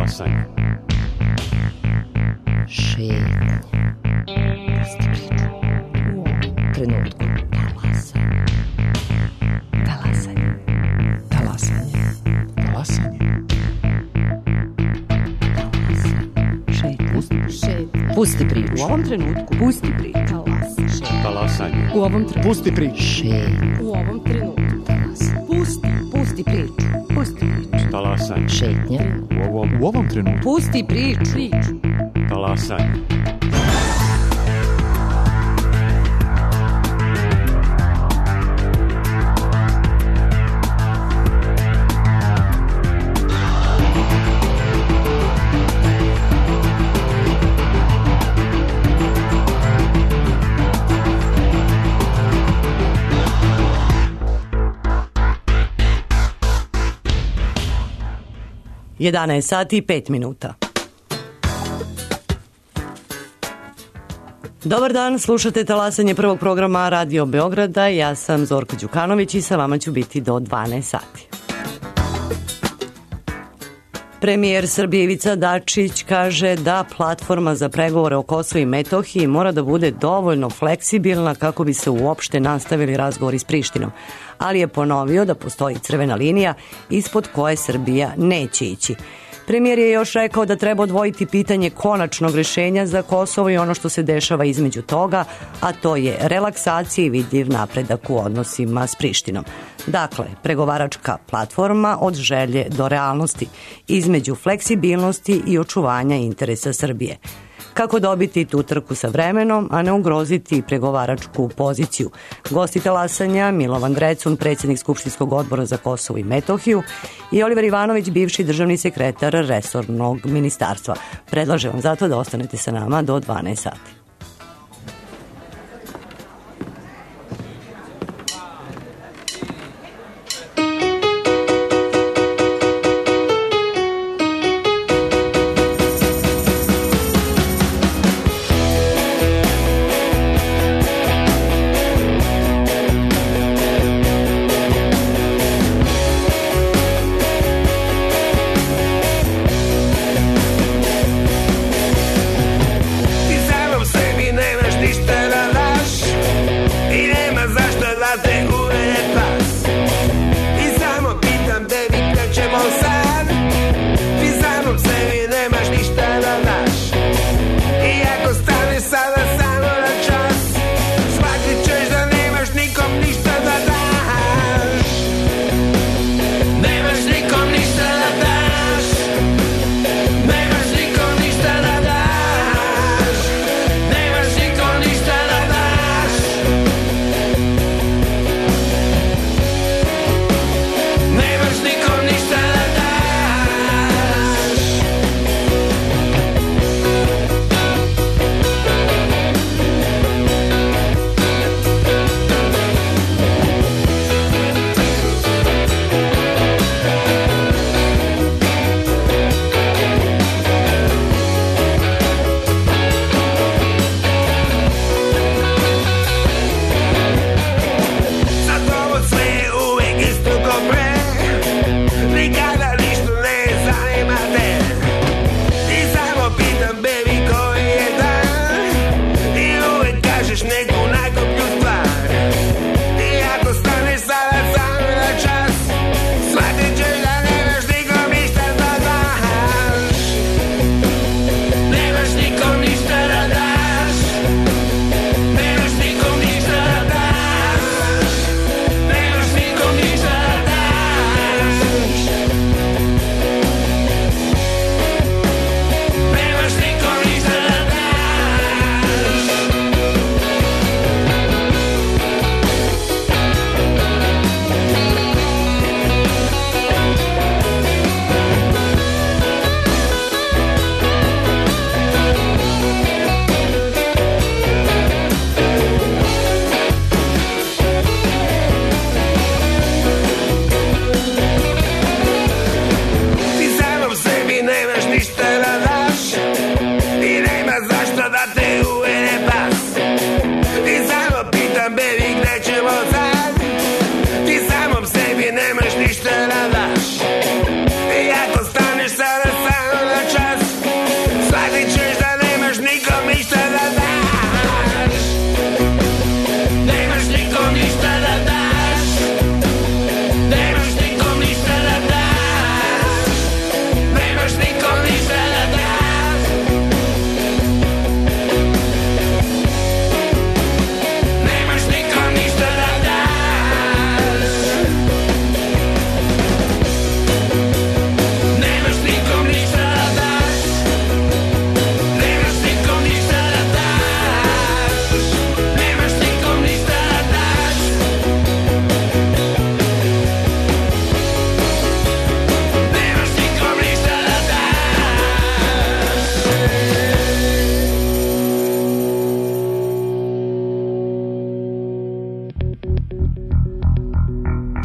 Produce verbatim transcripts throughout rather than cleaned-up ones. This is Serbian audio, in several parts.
Talasanje. Šetnja. Pusti priču. U ovom trenutku. Talasanje. Talasanje. Talasanje. Talasanje. Šetnja. Šetnja. Pusti priču. U ovom trenutku. Pusti priču. Talasanje. U ovom trenutku. Pusti priču. Šetnja. U ovom trenutku. Talasanje. Pusti. Pusti priču. Pusti priču. Talasanje. Šetnja. U ovom, U ovom trenutku. Pusti priču. Priču. talasanje. jedanaest sati i pet minuta. Dobar dan, slušate talasanje prvog programa Radio Beograda. Ja sam Zorka Đukanović i sa vama ću biti do dvanaest sati. Premijer Srbije Ivica Dačić kaže da platforma za pregovore o Kosovu i Metohiji mora da bude dovoljno fleksibilna kako bi se uopšte nastavili razgovori s Prištinom, ali je ponovio da postoji crvena linija ispod koje Srbija neće ići. Premijer je još rekao da treba odvojiti pitanje konačnog rešenja za Kosovo i ono što se dešava između toga, a to je relaksacija i vidljiv napredak u odnosima s Prištinom. Dakle, pregovaračka platforma od želje do realnosti, između fleksibilnosti i očuvanja interesa Srbije. Kako dobiti tu trku sa vremenom, a ne ugroziti pregovaračku poziciju? Gosti talasanja Milovan Drecun, predsjednik Skupštinskog odbora za Kosovo i Metohiju, i Oliver Ivanović, bivši državni sekretar resornog ministarstva. Predlažem vam zato da ostanete sa nama do dvanaest sati. These Arabs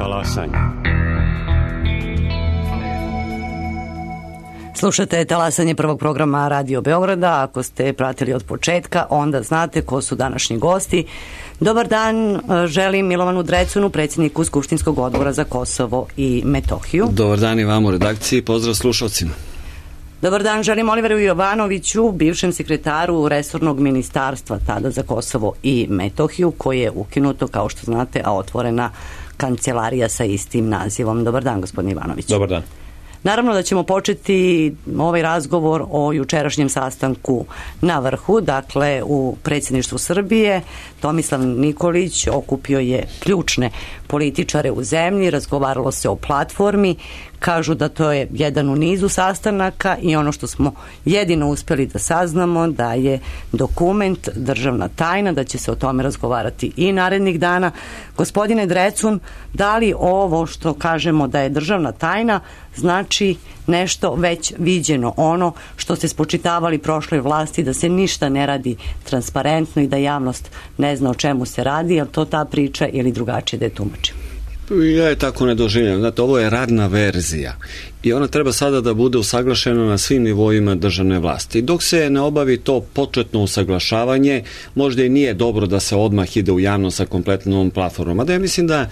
talasanje. Slušate talasanje prvog programa Radio Beograda. Ako ste pratili od početka, onda znate ko su današnji gosti. Dobar dan, želim Milovanu Drecunu, predsjedniku Skupštinskog odbora za Kosovo i Metohiju. Dobar dan i vam u redakciji, pozdrav slušalcima. Dobar dan, želim Oliveru Jovanoviću, bivšem sekretaru resornog ministarstva tada za Kosovo i Metohiju, koje je ukinuto, kao što znate, a otvorena kancelarija sa istim nazivom. Dobar dan, gospodin Jovanović. Dobar dan. Naravno da ćemo početi ovaj razgovor o jučerašnjem sastanku na vrhu, dakle u predsjedništvu Srbije. Tomislav Nikolić okupio je ključne političare u zemlji, razgovaralo se o platformi, kažu da to je jedan u nizu sastanaka i ono što smo jedino uspjeli da saznamo da je dokument državna tajna, da će se o tome razgovarati i narednih dana. Gospodine Drecun, da li ovo što kažemo da je državna tajna znači nešto već viđeno, ono što ste spočitavali prošloj vlasti, da se ništa ne radi transparentno i da javnost ne zna o čemu se radi, je li to ta priča ili drugačije da je tumačim? Ja je tako ne doživljam. Znate, ovo je radna verzija i ona treba sada da bude usaglašena na svim nivoima državne vlasti. Dok se ne obavi to početno usaglašavanje, možda i nije dobro da se odmah ide u javnost sa kompletnom platformom. A da ja mislim da e,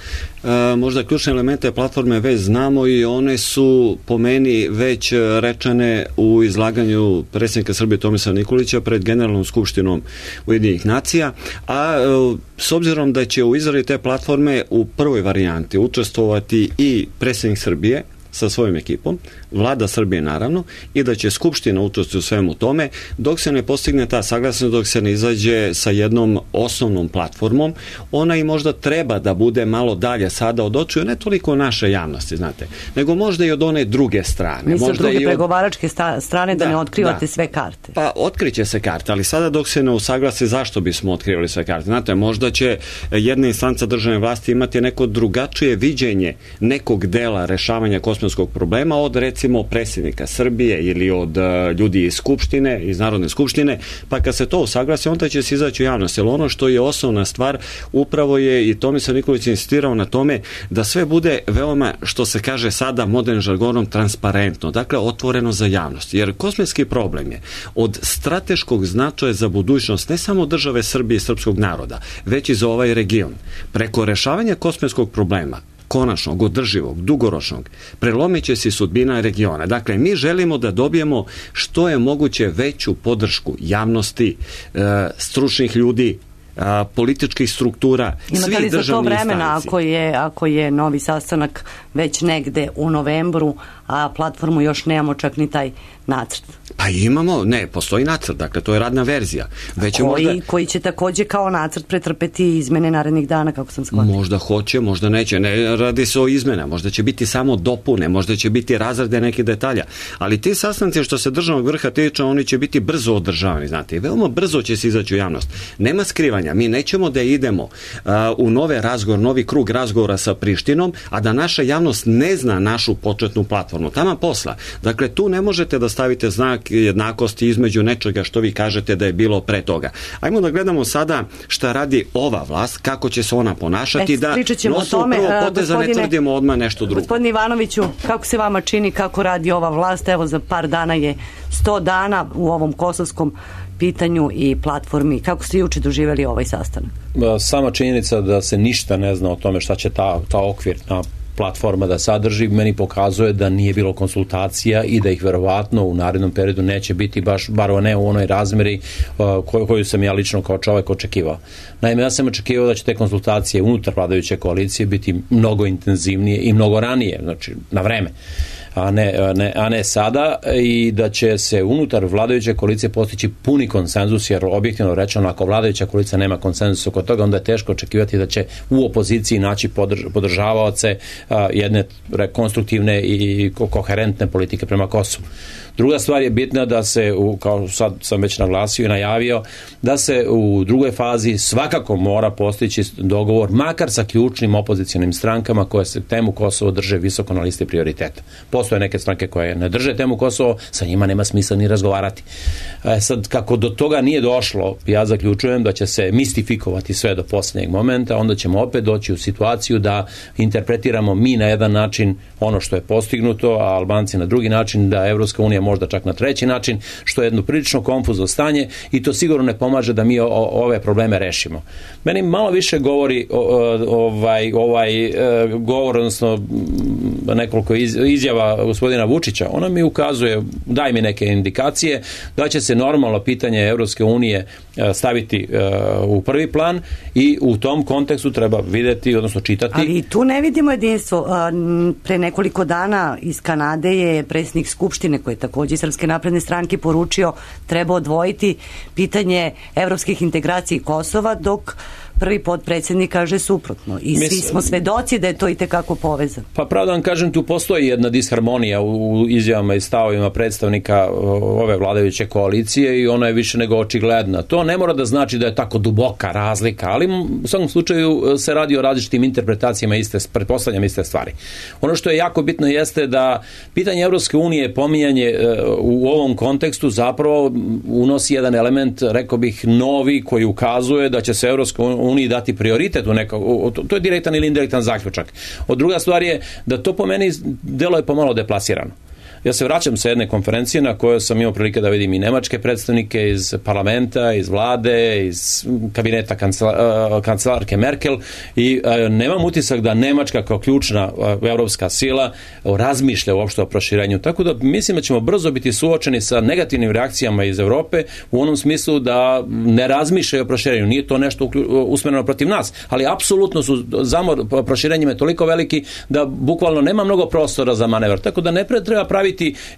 možda ključne elemente platforme već znamo i one su po meni već rečene u izlaganju predsjednika Srbije Tomislava Nikolića pred Generalnom skupštinom Ujedinjenih nacija, a e, s obzirom da će u izradi te platforme u prvoj varijanti učestvovati i predsjednik Srbije sa svojom ekipom, vlada Srbije naravno, i da će Skupština učestvovati u svemu tome, dok se ne postigne ta saglasnost, dok se ne izađe sa jednom osnovnom platformom, ona i možda treba da bude malo dalje sada od očiju, ne toliko naše javnosti, znate, nego možda i od one druge strane. Mislim, možda druge i od pregovaračke strane da, da ne otkrivate da. sve karte. Pa otkriće se karte, ali sada dok se ne usaglasi zašto bismo otkrivali sve karte. Znate, možda će jedna instanca državne vlasti imati neko drugačije viđenje nekog dela rešavanja kosmetskog problema od recimo predsjednika Srbije ili od uh, ljudi iz Skupštine, iz Narodne skupštine, pa kad se to usaglasi, onda će se izaći u javnost. Jer ono što je osnovna stvar, upravo je i Tomislav Nikolić insistirao na tome da sve bude veoma, što se kaže sada modernim žargonom, transparentno, dakle otvoreno za javnost. Jer kosmetski problem je od strateškog značaja za budućnost ne samo države Srbije i srpskog naroda, već i za ovaj region. Preko rešavanja kosmetskog problema, konačnog, održivog, dugoročnog, prelomit će se sudbina regiona. Dakle, mi želimo da dobijemo što je moguće veću podršku javnosti, e, stručnih ljudi, a, političkih struktura, svih državnih instanci. Imate li za to vremena ako je, ako je novi sastanak već negde u novembru, a platformu još nemamo čak ni taj nacrt? Pa imamo, ne, postoji nacrt, dakle to je radna verzija. Već koji, možda, koji će takođe kao nacrt pretrpeti izmene narednih dana, kako sam shvatila? Možda hoće, možda neće, ne radi se o izmena, možda će biti samo dopune, možda će biti razrade nekih detalja, ali ti sastanci što se državnog vrha tiče, oni će biti brzo održavani, znate, i veoma brzo će se izaći u javnost. Nema skrivanja, mi nećemo da idemo uh, u nove razgovor, novi krug razgovora sa Prištinom, a da naša javnost ne zna našu početnu platformu. Tama posla. Dakle, tu ne možete da stavite znak jednakosti između nečega što vi kažete da je bilo pre toga. Ajmo da gledamo sada šta radi ova vlast, kako će se ona ponašati, e, da nosu prvo poteza ne tvrdimo odmah nešto drugo. Gospodin Ivanoviću, kako se vama čini kako radi ova vlast? Evo, za par dana je sto dana u ovom kosovskom pitanju i platformi. Kako ste juče doživjeli ovaj sastanak? Sama činjenica da se ništa ne zna o tome šta će ta, ta okvirna platforma da sadrži, meni pokazuje da nije bilo konsultacija i da ih verovatno u narednom periodu neće biti baš, bar ne u onoj razmeri uh, koju, koju sam ja lično kao čovek očekivao. Naime, ja sam očekivao da će te konsultacije unutar vladajuće koalicije biti mnogo intenzivnije i mnogo ranije, znači na vreme. A ne, ne, a ne sada, i da će se unutar vladajuće koalicije postići puni konsenzus, jer objektivno rečeno, ako vladajuća koalicija nema konsenzusa oko toga, onda je teško očekivati da će u opoziciji naći podrž, podržavaoce a, jedne rekonstruktivne i koherentne politike prema Kosovu. Druga stvar je bitna da se, u, kao sad sam već naglasio i najavio, da se u drugoj fazi svakako mora postići dogovor, makar sa ključnim opozicionim strankama koje se temu Kosovo drže visoko na listi prioriteta. postoje neke stranke koje ne drže temu Kosovo, sa njima nema smisla ni razgovarati. E, sad, kako do toga nije došlo, ja zaključujem da će se mistifikovati sve do posljednjeg momenta, onda ćemo opet doći u situaciju da interpretiramo mi na jedan način ono što je postignuto, a Albanci na drugi način, da Evropska unija možda čak na treći način, što je jedno prilično konfuzno stanje i to sigurno ne pomaže da mi o, o, ove probleme rešimo. Meni malo više govori o, o, ovaj, ovaj e, govor, odnosno nekoliko iz, izjava gospodina Vučića, ona mi ukazuje, daj mi neke indikacije da će se normalno pitanje Evropske unije staviti uh, u prvi plan i u tom kontekstu treba videti, odnosno čitati. Ali tu ne vidimo jedinstvo. Pre nekoliko dana iz Kanade je predsjednik Skupštine, koji je takođe iz Srpske napredne stranke, poručio treba odvojiti pitanje evropskih integracija i Kosova, dok prvi potpredsjednik kaže suprotno. I svi smo svedoci da je to itekako povezano. Pa pravo da vam kažem, tu postoji jedna disharmonija u izjavama i stavovima predstavnika ove vladajuće koalicije i ona je više nego očigledna. To ne mora da znači da je tako duboka razlika, ali u svakom slučaju se radi o različitim interpretacijama iste, pretpostavljam iste stvari. Ono što je jako bitno jeste da pitanje Evropske unije, pominjanje u ovom kontekstu zapravo unosi jedan element, rekao bih, novi, koji ukazuje da će se Evropska uniji dati prioritet u neko, to je direktan ili indirektan zaključak. Od druga stvar je da to po meni delo je pomalo deplasirano. Ja se vraćam sa jedne konferencije na kojoj sam imao prilike da vidim i nemačke predstavnike iz parlamenta, iz vlade, iz kabineta kancela, kancelarke Merkel i e, nemam utisak da Nemačka kao ključna e, evropska sila razmišlja uopšte o proširenju. Tako da mislim da ćemo brzo biti suočeni sa negativnim reakcijama iz Evrope u onom smislu da ne razmišljaju o proširenju. Nije to nešto usmjereno protiv nas, ali apsolutno su zamor proširenjima toliko veliki da bukvalno nema mnogo prostora za manevar. Tako da ne treba praviti,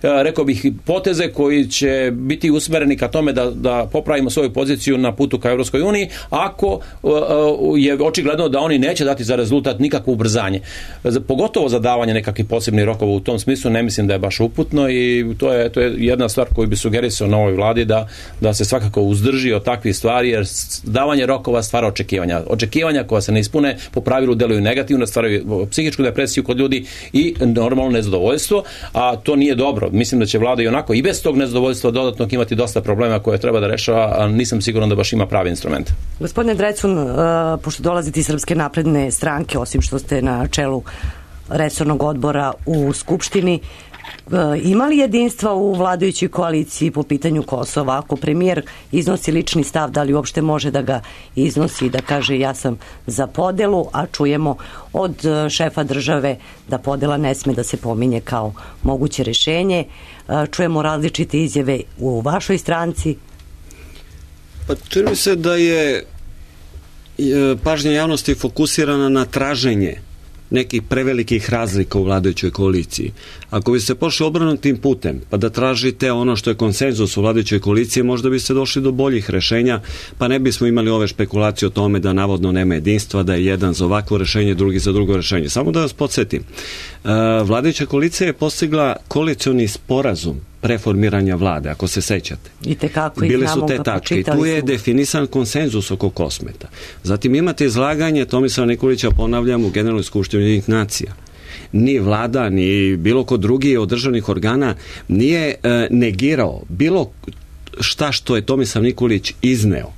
rekao bih, poteze koji će biti usmereni ka tome da, da popravimo svoju poziciju na putu ka Evropskoj uniji, ako je očigledno da oni neće dati za rezultat nikakvo ubrzanje. Pogotovo za davanje nekakvih posebnih rokova u tom smislu ne mislim da je baš uputno i to je, to je jedna stvar koju bi sugerisao novoj vladi da, da se svakako uzdrži od takvih stvari, jer davanje rokova stvara očekivanja. Očekivanja koja se ne ispune po pravilu deluju negativno, stvaraju psihičku depresiju kod ljudi i normalno nezadovoljstvo, a to nije dobro. Mislim da će vlada i onako i bez tog nezadovoljstva dodatnog imati dosta problema koje treba da rešava, a nisam siguran da baš ima pravi instrument. Gospodine Drecun, uh, pošto dolazite iz Srpske napredne stranke, osim što ste na čelu resornog odbora u Skupštini, uh, ima li jedinstva u vladajućoj koaliciji po pitanju Kosova? Ako premijer iznosi lični stav, da li uopšte može da ga iznosi i da kaže ja sam za podelu, a čujemo od šefa države da podela ne sme da se pominje kao moguće rešenje. Čujemo različite izjave u vašoj stranci. Pa čini mi se da je pažnja javnosti fokusirana na traženje nekih prevelikih razlika u vladajućoj koaliciji. Ako bi se pošli obrnutim putem, pa da tražite ono što je konsenzus u vladajućoj koaliciji, možda bi se došli do boljih rešenja, pa ne bismo imali ove spekulacije o tome da navodno nema jedinstva, da je jedan za ovakvo rešenje, drugi za drugo rešenje. Samo da vas podsjetim, vladajuća koalicija je postigla koalicioni sporazum preformiranja vlade, ako se sećate. I tekako bile su te tačke i tu je definisan konsenzus oko Kosmeta. Zatim imate izlaganje Tomislava Nikolića, ponavljam, u Generalnoj skupštini Ujedinjenih nacija. Ni vlada, ni bilo ko drugi od državnih organa nije e, negirao bilo šta što je Tomislav Nikolić izneo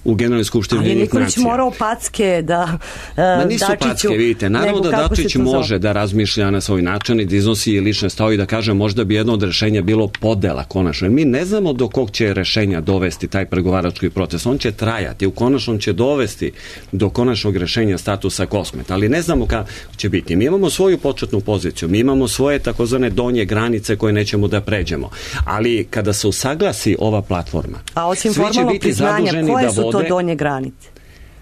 u Generalnoj skupštini Ujedinjenih nacija. Ali Nikolić morao packe da e, Ma nisu Dačiću, packe, vidite. Naravno da Dačić može da razmišlja na svoj način i da iznosi lične stavove i da kaže možda bi jedno od rešenja bilo podela konačno. Mi ne znamo do kog će rešenja dovesti taj pregovarački proces. On će trajati. U konačnom će dovesti do konačnog rešenja statusa Kosmeta. Ali ne znamo kako će biti. Mi imamo svoju početnu poziciju. Mi imamo svoje takozvane donje granice koje nećemo da pređemo. Ali kada se usaglasi ova platforma, a osim formalnog priznanja, koje su to donje granice?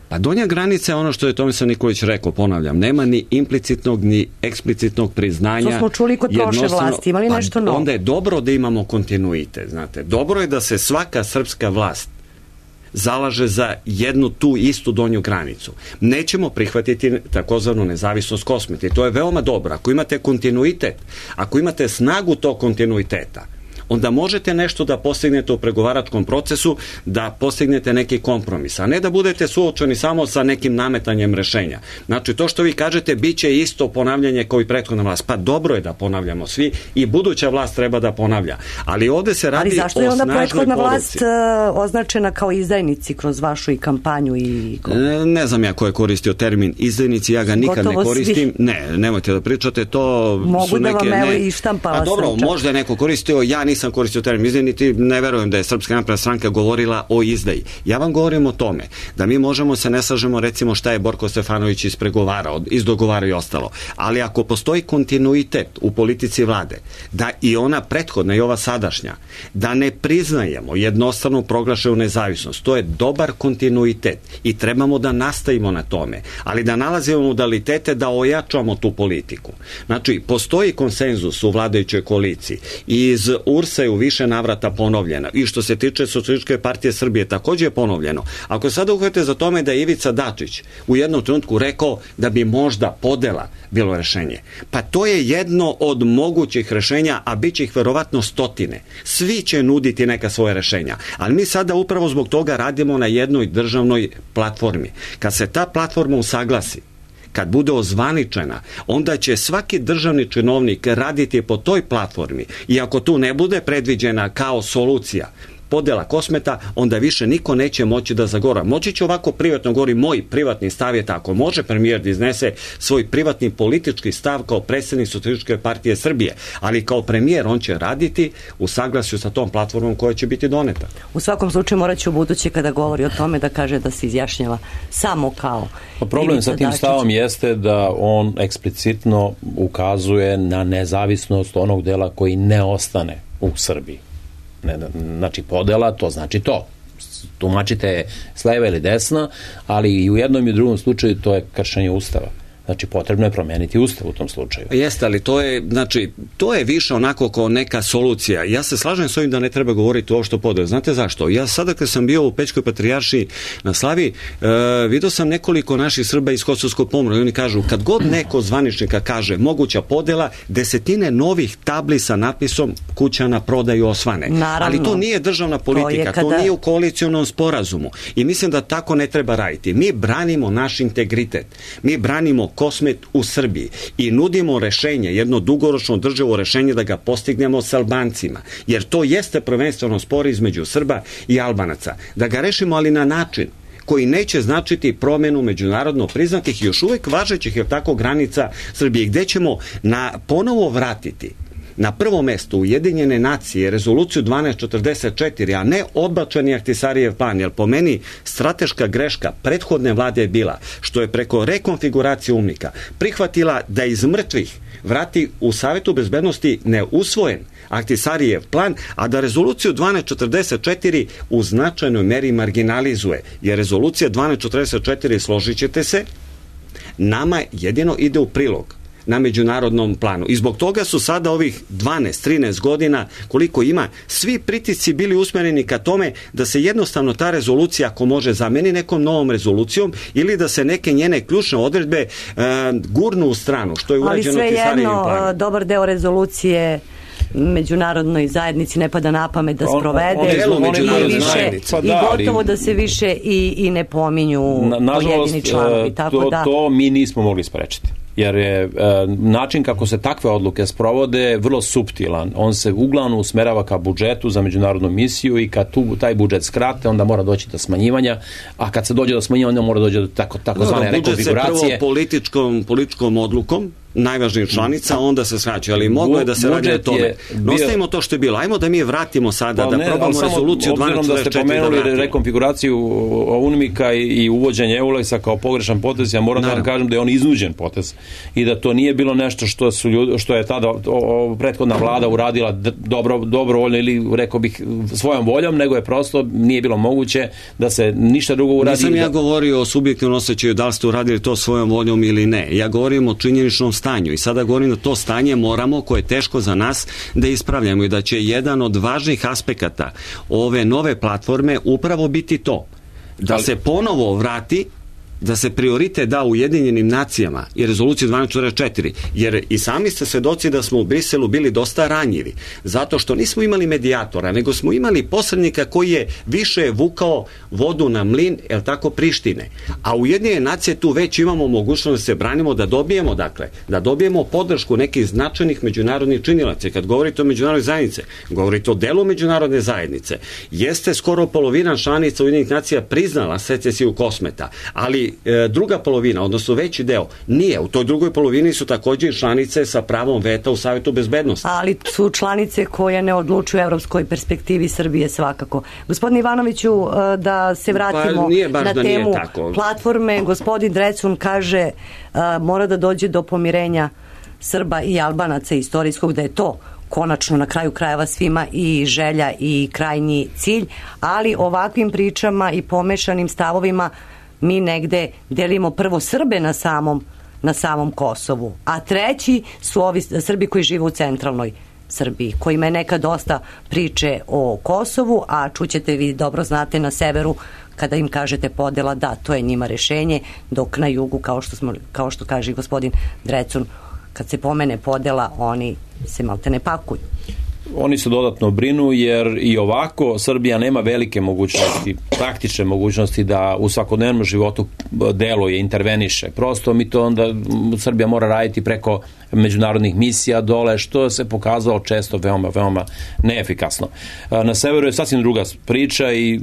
Pa donja granica je ono što je Tomislav Nikolić rekao, ponavljam, nema ni implicitnog ni eksplicitnog priznanja. To smo čuli kod prošle vlasti, imali nešto novo? Onda je dobro da imamo kontinuitet, znate. Dobro je da se svaka srpska vlast zalaže za jednu tu istu donju granicu. Nećemo prihvatiti takozvanu nezavisnost Kosmeta i to je veoma dobro. Ako imate kontinuitet, ako imate snagu tog kontinuiteta, onda možete nešto da postignete u pregovaračkom procesu, da postignete neki kompromis, a ne da budete suočeni samo sa nekim nametanjem rešenja. Znači, to što vi kažete, bit će isto ponavljanje kao i prethodna vlast. Pa dobro je da ponavljamo svi i buduća vlast treba da ponavlja. Ali ovde se radi o snažnoj poruci. Ali zašto je onda prethodna vlast uh, označena kao izdajnici kroz vašu i kampanju? I... Ne, ne znam ja ko je koristio termin izdajnici, ja ga nikad Gotovo ne koristim. Svi. Ne, nemojte da pričate, to Mogu su neke... Mogu da vam evo ne... i štampala sam. A dobro, čak. možda je neko koristio, ja nisam koristio termin izdajnici, ne verujem da je Srpska napredna stranka govorila o izdaji. Ja vam govorim o tome da mi možemo se ne slažemo recimo šta je Borko Stefanović ispregovarao, izdogovarao i ostalo. Ali ako postoji kontinuitet u politici vlade, da i ona prethodna i ova sadašnja, da ne priznajemo jednostavno proglašenu nezavisnost, to je dobar kontinuitet i trebamo da nastavimo na tome, ali da nalazimo modalitete da ojačamo tu politiku. Znači, postoji konsenzus u vladajućoj koaliciji i iz U R S-a je u više navrata ponovljena i što se tiče Socijalističke partije Srbije takođe je ponovljeno. Ako sada uhvatite za tome da je Ivica Dačić u jednom trenutku rekao da bi možda podela bilo rešenje, pa to je jedno od mogućih rešenja, a bit će ih verovatno stotine. Svi će nuditi neka svoje rešenja, ali mi sada upravo zbog toga radimo na jednoj državnoj platformi. Kad se ta platforma usaglasi, kad bude ozvaničena, onda će svaki državni činovnik raditi po toj platformi i ako tu ne bude predviđena kao solucija podela Kosmeta, onda više niko neće moći da zagora. Moći će ovako privatno govori, moj privatni stav je tako. Može premijer da iznese svoj privatni politički stav kao predsjednik Socijalističke partije Srbije, ali kao premijer on će raditi u saglasju sa tom platformom koja će biti doneta. U svakom slučaju morat će u buduće kada govori o tome da kaže da se izjašnjava samo kao pa problem Ivica sa tim Dačić. Stavom jeste da on eksplicitno ukazuje na nezavisnost onog dela koji ne ostane u Srbiji. Ne, znači podela, to znači to. Tumačite s leva ili desna, ali i u jednom i u drugom slučaju to je kršenje Ustava. Znači, potrebno je promeniti Ustav u tom slučaju. Jeste, ali to je, znači, to je više onako kao neka solucija. Ja se slažem s ovim da ne treba govoriti uopšte o podelu. Znate zašto? Ja sada kad sam bio u Pećkoj patrijaršiji na Slavi, e, vidio sam nekoliko naših Srba iz Kosovskog Pomoravlja i oni kažu, kad god neko zvaničnika kaže moguća podela, desetine novih tabli sa natpisom kuća na prodaju osvane. Naravno, ali to nije državna politika, to, kada... to nije u koalicionom sporazumu. I mislim da tako ne treba raditi. Mi branimo naš integritet. Mi branimo Kosmet u Srbiji i nudimo rešenje, jedno dugoročno održivo rešenje da ga postignemo s Albancima, jer to jeste prvenstveno spor između Srba i Albanaca. Da ga rešimo, ali na način koji neće značiti promenu međunarodno priznatih i još uvek važećih, jer tako, granica Srbije, gde ćemo na ponovo vratiti na prvo mesto Ujedinjene nacije rezoluciju dvanaest četrdeset četiri, a ne odbačeni Ahtisarijev plan, jer po meni strateška greška prethodne vlade je bila što je preko rekonfiguracije UNMIK-a prihvatila da iz mrtvih vrati u Savetu bezbednosti neusvojen Ahtisarijev plan, a da rezoluciju dvanaest četrdeset četiri u značajnoj meri marginalizuje, jer rezolucija dvanaest četrdeset četiri, složit ćete se, nama jedino ide u prilog na međunarodnom planu. I zbog toga su sada ovih dvanaest trinaest godina, koliko ima, svi pritisci bili usmereni ka tome da se jednostavno ta rezolucija, ako može, zameni nekom novom rezolucijom ili da se neke njene ključne odredbe uh, gurnu u stranu, što je urađeno Ahtisarijevim planom. Ali svejedno, dobar deo rezolucije međunarodnoj zajednici ne pada na pamet da sprovede on, on, on, i, više, pa i da, gotovo ali, da se više i, i ne pominju na, nažalost, pojedini članovi. Tako to, da... to mi nismo mogli sprečiti. Jer je e, način kako se takve odluke sprovode vrlo suptilan. On se uglavnom usmerava ka budžetu za međunarodnu misiju i kad tu, taj budžet skrate, onda mora doći do smanjivanja, a kad se dođe do smanjivanja, onda mora doći do tako, tako zvane rekonfiguracije. Budžet se prvo političkom, političkom odlukom najvažnijih članica, onda se skraćuje, ali moglo je da se radi o tome. Bio... Ostavimo to što je bilo. Ajmo da mi vratimo sada, pa, da ne, probamo rezoluciju dvanaest četrdeset četiri da vratimo. Da ste pomenuli rekonfiguraciju UNMIK-a i, i uvođenje EULEX-a kao pogrešan potez, ja moram da vam kažem da je on iznuđen potez i da to nije bilo nešto što su ljudi, što je tada o, o, prethodna vlada uradila dobro, dobrovoljno ili rekao bih svojom voljom, nego je prosto nije bilo moguće da se ništa drugo uradi. Nisam ja da... govorio o subjektivnom osjećaju da li ste uradili to svojom voljom ili ne. Ja govorim o činjeničnom stanju i sada govorim da to stanje moramo, koje je teško za nas, da ispravljamo i da će jedan od važnih aspekata ove nove platforme upravo biti to. Da ali... se ponovo vrati da se prioritet da Ujedinjenim nacijama i rezoluciju dvanaest četrdeset četiri, jer i sami ste svedoci da smo u Briselu bili dosta ranjivi, zato što nismo imali medijatora, nego smo imali posrednika koji je više vukao vodu na mlin, jel tako, Prištine. A Ujedinjene nacije tu već imamo mogućnost da se branimo, da dobijemo, dakle, da dobijemo podršku nekih značajnih međunarodnih činilaca. Kad govorite o međunarodnoj zajednice, govorite o delu međunarodne zajednice, jeste skoro polovina članica Ujedinjenih nacija priznala secesiju Kosmeta, ali e, druga polovina, odnosno veći deo, nije. U toj drugoj polovini su također članice sa pravom veta u Savetu bezbednosti. Ali su članice koje ne odlučuju evropskoj perspektivi Srbije svakako. Gospodin Ivanoviću, da se vratimo pa, na da temu platforme. Gospodin Drecun kaže a, mora da dođe do pomirenja Srba i Albanaca istorijskog, da je to konačno na kraju krajeva svima i želja i krajnji cilj, ali ovakvim pričama i pomešanim stavovima mi negde delimo prvo Srbe na samom, na samom Kosovu, a treći su ovi Srbi koji žive u centralnoj Srbiji, kojima je nekad dosta priče o Kosovu, a čućete, vi dobro znate, na severu kada im kažete podela, da, to je njima rešenje, dok na jugu, kao što, smo, kao što kaže gospodin Drecun, kad se pomene podela, oni se malte ne pakuju. Oni se dodatno brinu jer i ovako Srbija nema velike mogućnosti, praktične mogućnosti da u svakodnevnom životu deluje, interveniše. Prosto mi to onda Srbija mora raditi preko međunarodnih misija dole, što se pokazalo često veoma, veoma neefikasno. Na severu je sasvim druga priča i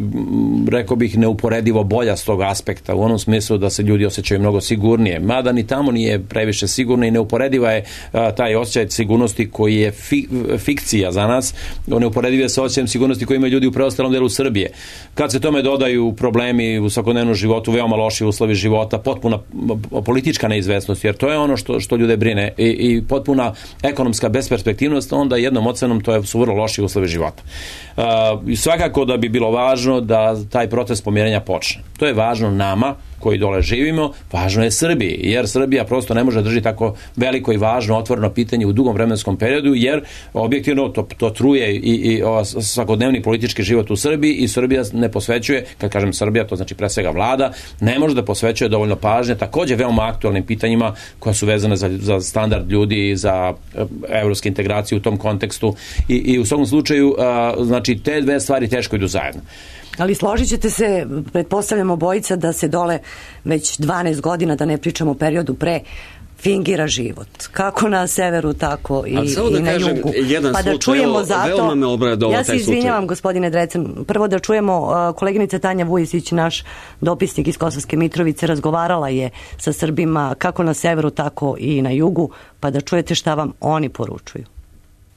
rekao bih neuporedivo bolja s tog aspekta, u onom smislu da se ljudi osjećaju mnogo sigurnije. Mada ni tamo nije previše sigurno i neuporediva je taj osjećaj sigurnosti koji je fi, fikcija za nas, neuporediv je sa osjećajem sigurnosti koji imaju ljudi u preostalom delu Srbije. Kad se tome dodaju problemi u svakodnevnom životu, veoma loši uslovi života, potpuna politička neizvesnost, jer to je ono što, što ljude brine, i, i potpuna ekonomska besperspektivnost, onda jednom ocenom to je, su vrlo loši uslovi života. Uh, svakako da bi bilo važno da taj proces pomirenja počne. To je važno nama koji dole živimo, važno je Srbiji, jer Srbija prosto ne može držati tako veliko i važno otvoreno pitanje u dugom vremenskom periodu, jer objektivno to, to truje i, i o, svakodnevni politički život u Srbiji i Srbija ne posvećuje, kad kažem Srbija, to znači pre svega vlada, ne može da posvećuje dovoljno pažnje također veoma aktualnim pitanjima koja su vezane za, za standard ljudi i za evropske integracije u tom kontekstu i, i u svakom slučaju, a, znači te dve stvari teško idu zajedno. Ali složit ćete se, pretpostavljamo bojica, da se dole već dvanaest godina, da ne pričamo o periodu pre, fingira život. Kako na severu, tako i, da i na jugu. Pa da čujemo zato, ja se izvinjavam gospodine Drecun, prvo da čujemo, uh, koleginica Tanja Vujisić, naš dopisnik iz Kosovske Mitrovice, razgovarala je sa Srbima kako na severu, tako i na jugu, pa da čujete šta vam oni poručuju.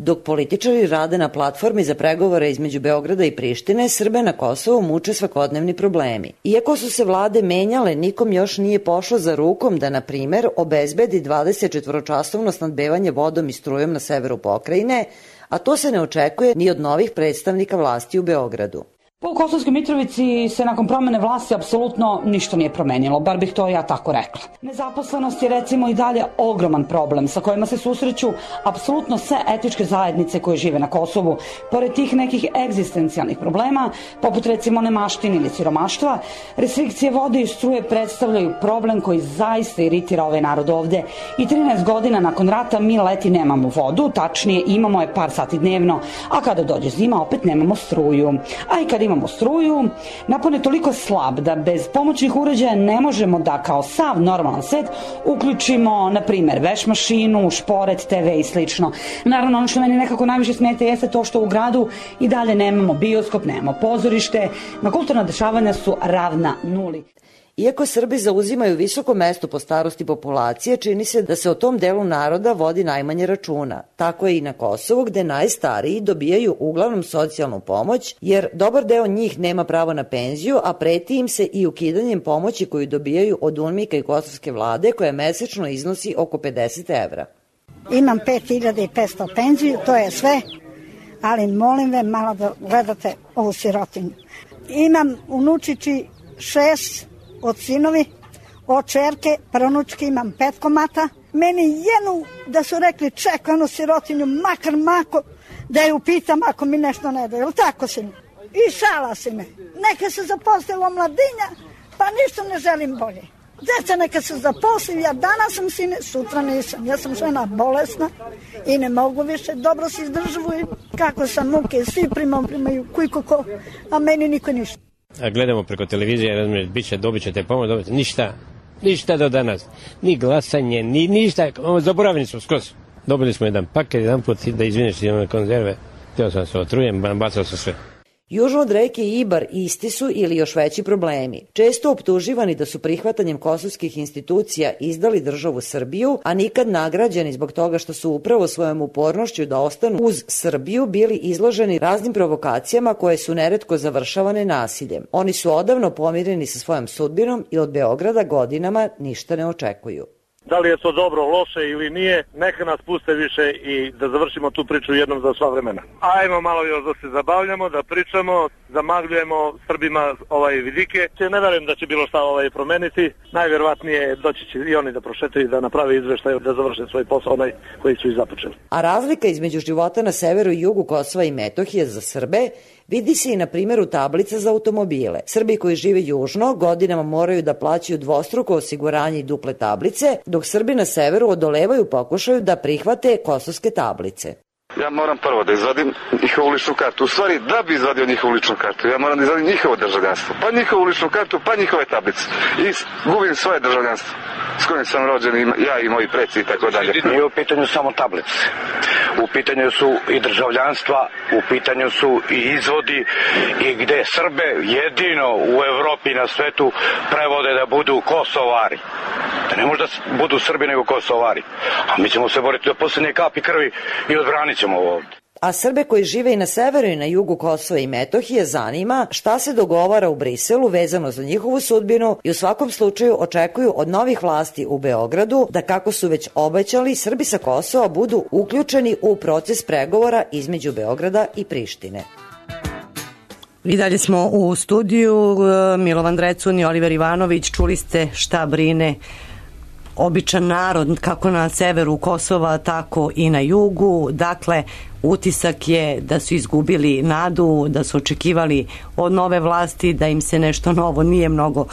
Dok političari rade na platformi za pregovore između Beograda i Prištine, Srbe na Kosovu muče svakodnevni problemi. Iako su se vlade menjale, nikom još nije pošlo za rukom da, na primer, obezbedi dvadesetčetvoročasovno snabdevanje vodom i strujom na severu pokrajine, a to se ne očekuje ni od novih predstavnika vlasti u Beogradu. Po Kosovskoj Mitrovici se nakon promene vlasti apsolutno ništa nije promenilo, bar bih to ja tako rekla. Nezaposlenost je recimo i dalje ogroman problem sa kojima se susreću apsolutno sve etičke zajednice koje žive na Kosovu. Pored tih nekih egzistencijalnih problema, poput recimo nemaštine ili siromaštva, restrikcije vode i struje predstavljaju problem koji zaista iritira ovaj narod ovde. I trinaest godina nakon rata mi leti nemamo vodu, tačnije imamo je par sati dnevno, a kada dođe zima opet nemamo struju. A i kada imamo struju, napon je toliko slab da bez pomoćnih uređaja ne možemo da kao sav normalan svet uključimo, na primjer, veš mašinu, šporet, te ve i slično. Naravno, ono što meni nekako najviše smeta jeste to što u gradu i dalje nemamo bioskop, nemamo pozorište, na kulturna dešavanja su ravna nuli. Iako Srbi zauzimaju visoko mesto po starosti populacije, čini se da se o tom delu naroda vodi najmanje računa. Tako je i na Kosovu, gde najstariji dobijaju uglavnom socijalnu pomoć, jer dobar deo njih nema pravo na penziju, a preti im se i ukidanjem pomoći koju dobijaju od UNMIK-a i kosovske vlade, koja mesečno iznosi oko pedeset evra. Imam pet hiljada petsto penziju, to je sve, ali molim ve malo da gledate ovu sirotinju. Imam unučići šest od sinovi, od čerke, pranučke imam pet komata. Meni jednu da su rekli čekaj onu sirotinju, makar mako, da je upitam ako mi nešto ne da. Jel tako si mi? I šala si me. Neka se zaposlilo mladinja, pa ništa ne želim bolje. Deca neka se zaposli, ja danas sam sine, sutra nisam. Ja sam žena bolesna i ne mogu više, dobro se izdržavujem. Kako sam muke, svi primam, primaju kujko ko, a meni niko ništa. A gledamo preko televizije, razumiješ, bit će, dobit ćete pomoć, dobit ćete, ništa, ništa do danas. Ni glasanje, ni ništa, zaboravljeni smo skroz. Dobili smo jedan paket, jedan put da izvineš i one konzerve, htio sam se otrujem, bacao sam sve. Južno od reke Ibar isti su ili još veći problemi. Često optuživani da su prihvatanjem kosovskih institucija izdali državu Srbiju, a nikad nagrađeni zbog toga što su upravo svojom upornošću da ostanu uz Srbiju bili izloženi raznim provokacijama koje su neretko završavane nasiljem. Oni su odavno pomireni sa svojom sudbinom i od Beograda godinama ništa ne očekuju. Da li je to dobro, loše ili nije, neka nas puste više i da završimo tu priču jednom za sva vremena. Ajmo malo još da se zabavljamo, da pričamo, zamagljujemo Srbima ovaj vidike. Ne verujem da će bilo šta ovaj promeniti. Najverovatnije doći će i oni da prošetaju, da naprave izveštaj, da završe svoj posao onaj koji su i započeli. A razlika između života na severu i jugu Kosova i Metohije za Srbe vidi se i na primjeru tablica za automobile. Srbi koji žive južno godinama moraju da plaćaju dvostruko osiguranje i duple tablice, dok Srbi na severu odolevaju pokušaju da prihvate kosovske tablice. Ja moram prvo da izvadim njihovu ličnu kartu. U stvari, da bi izvadio njihovu ličnu kartu, ja moram da izvadim njihovo državljanstvo. Pa njihovu ličnu kartu, pa njihove tablice. I gubim svoje državljanstvo. S kojim sam rođen, ja i moji preci i tako dalje. Nije u pitanju samo tablice. U pitanju su i državljanstva, u pitanju su i izvodi i gde Srbe jedino u Evropi i na svetu prevode da budu Kosovari. Da ne možda budu Srbi nego Kosovari. A mi ćemo se boriti do posljednje kapi krvi i odbranit ćemo ovo ovdje. A Srbe koji žive i na severu i na jugu Kosova i Metohije zanima šta se dogovara u Briselu vezano za njihovu sudbinu i u svakom slučaju očekuju od novih vlasti u Beogradu da, kako su već obećali, Srbi sa Kosova budu uključeni u proces pregovora između Beograda i Prištine. I dalje smo u studiju, Milovan Drecun i Oliver Ivanović. Čuli ste šta brine običan narod kako na severu Kosova, tako i na jugu. Dakle, utisak je da su izgubili nadu, da su očekivali od nove vlasti da im se nešto novo nije mnogo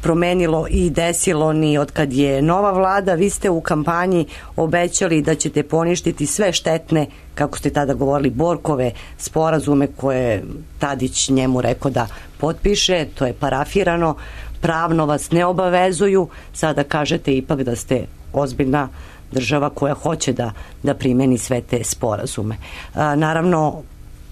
promenilo i desilo ni od kad je nova vlada. Vi ste u kampanji obećali da ćete poništiti sve štetne, kako ste tada govorili, Borkove sporazume koje Tadić njemu rekao da potpiše, to je parafirano, pravno vas ne obavezuju, sada kažete ipak da ste ozbiljna država koja hoće da, da primeni sve te sporazume. A, naravno,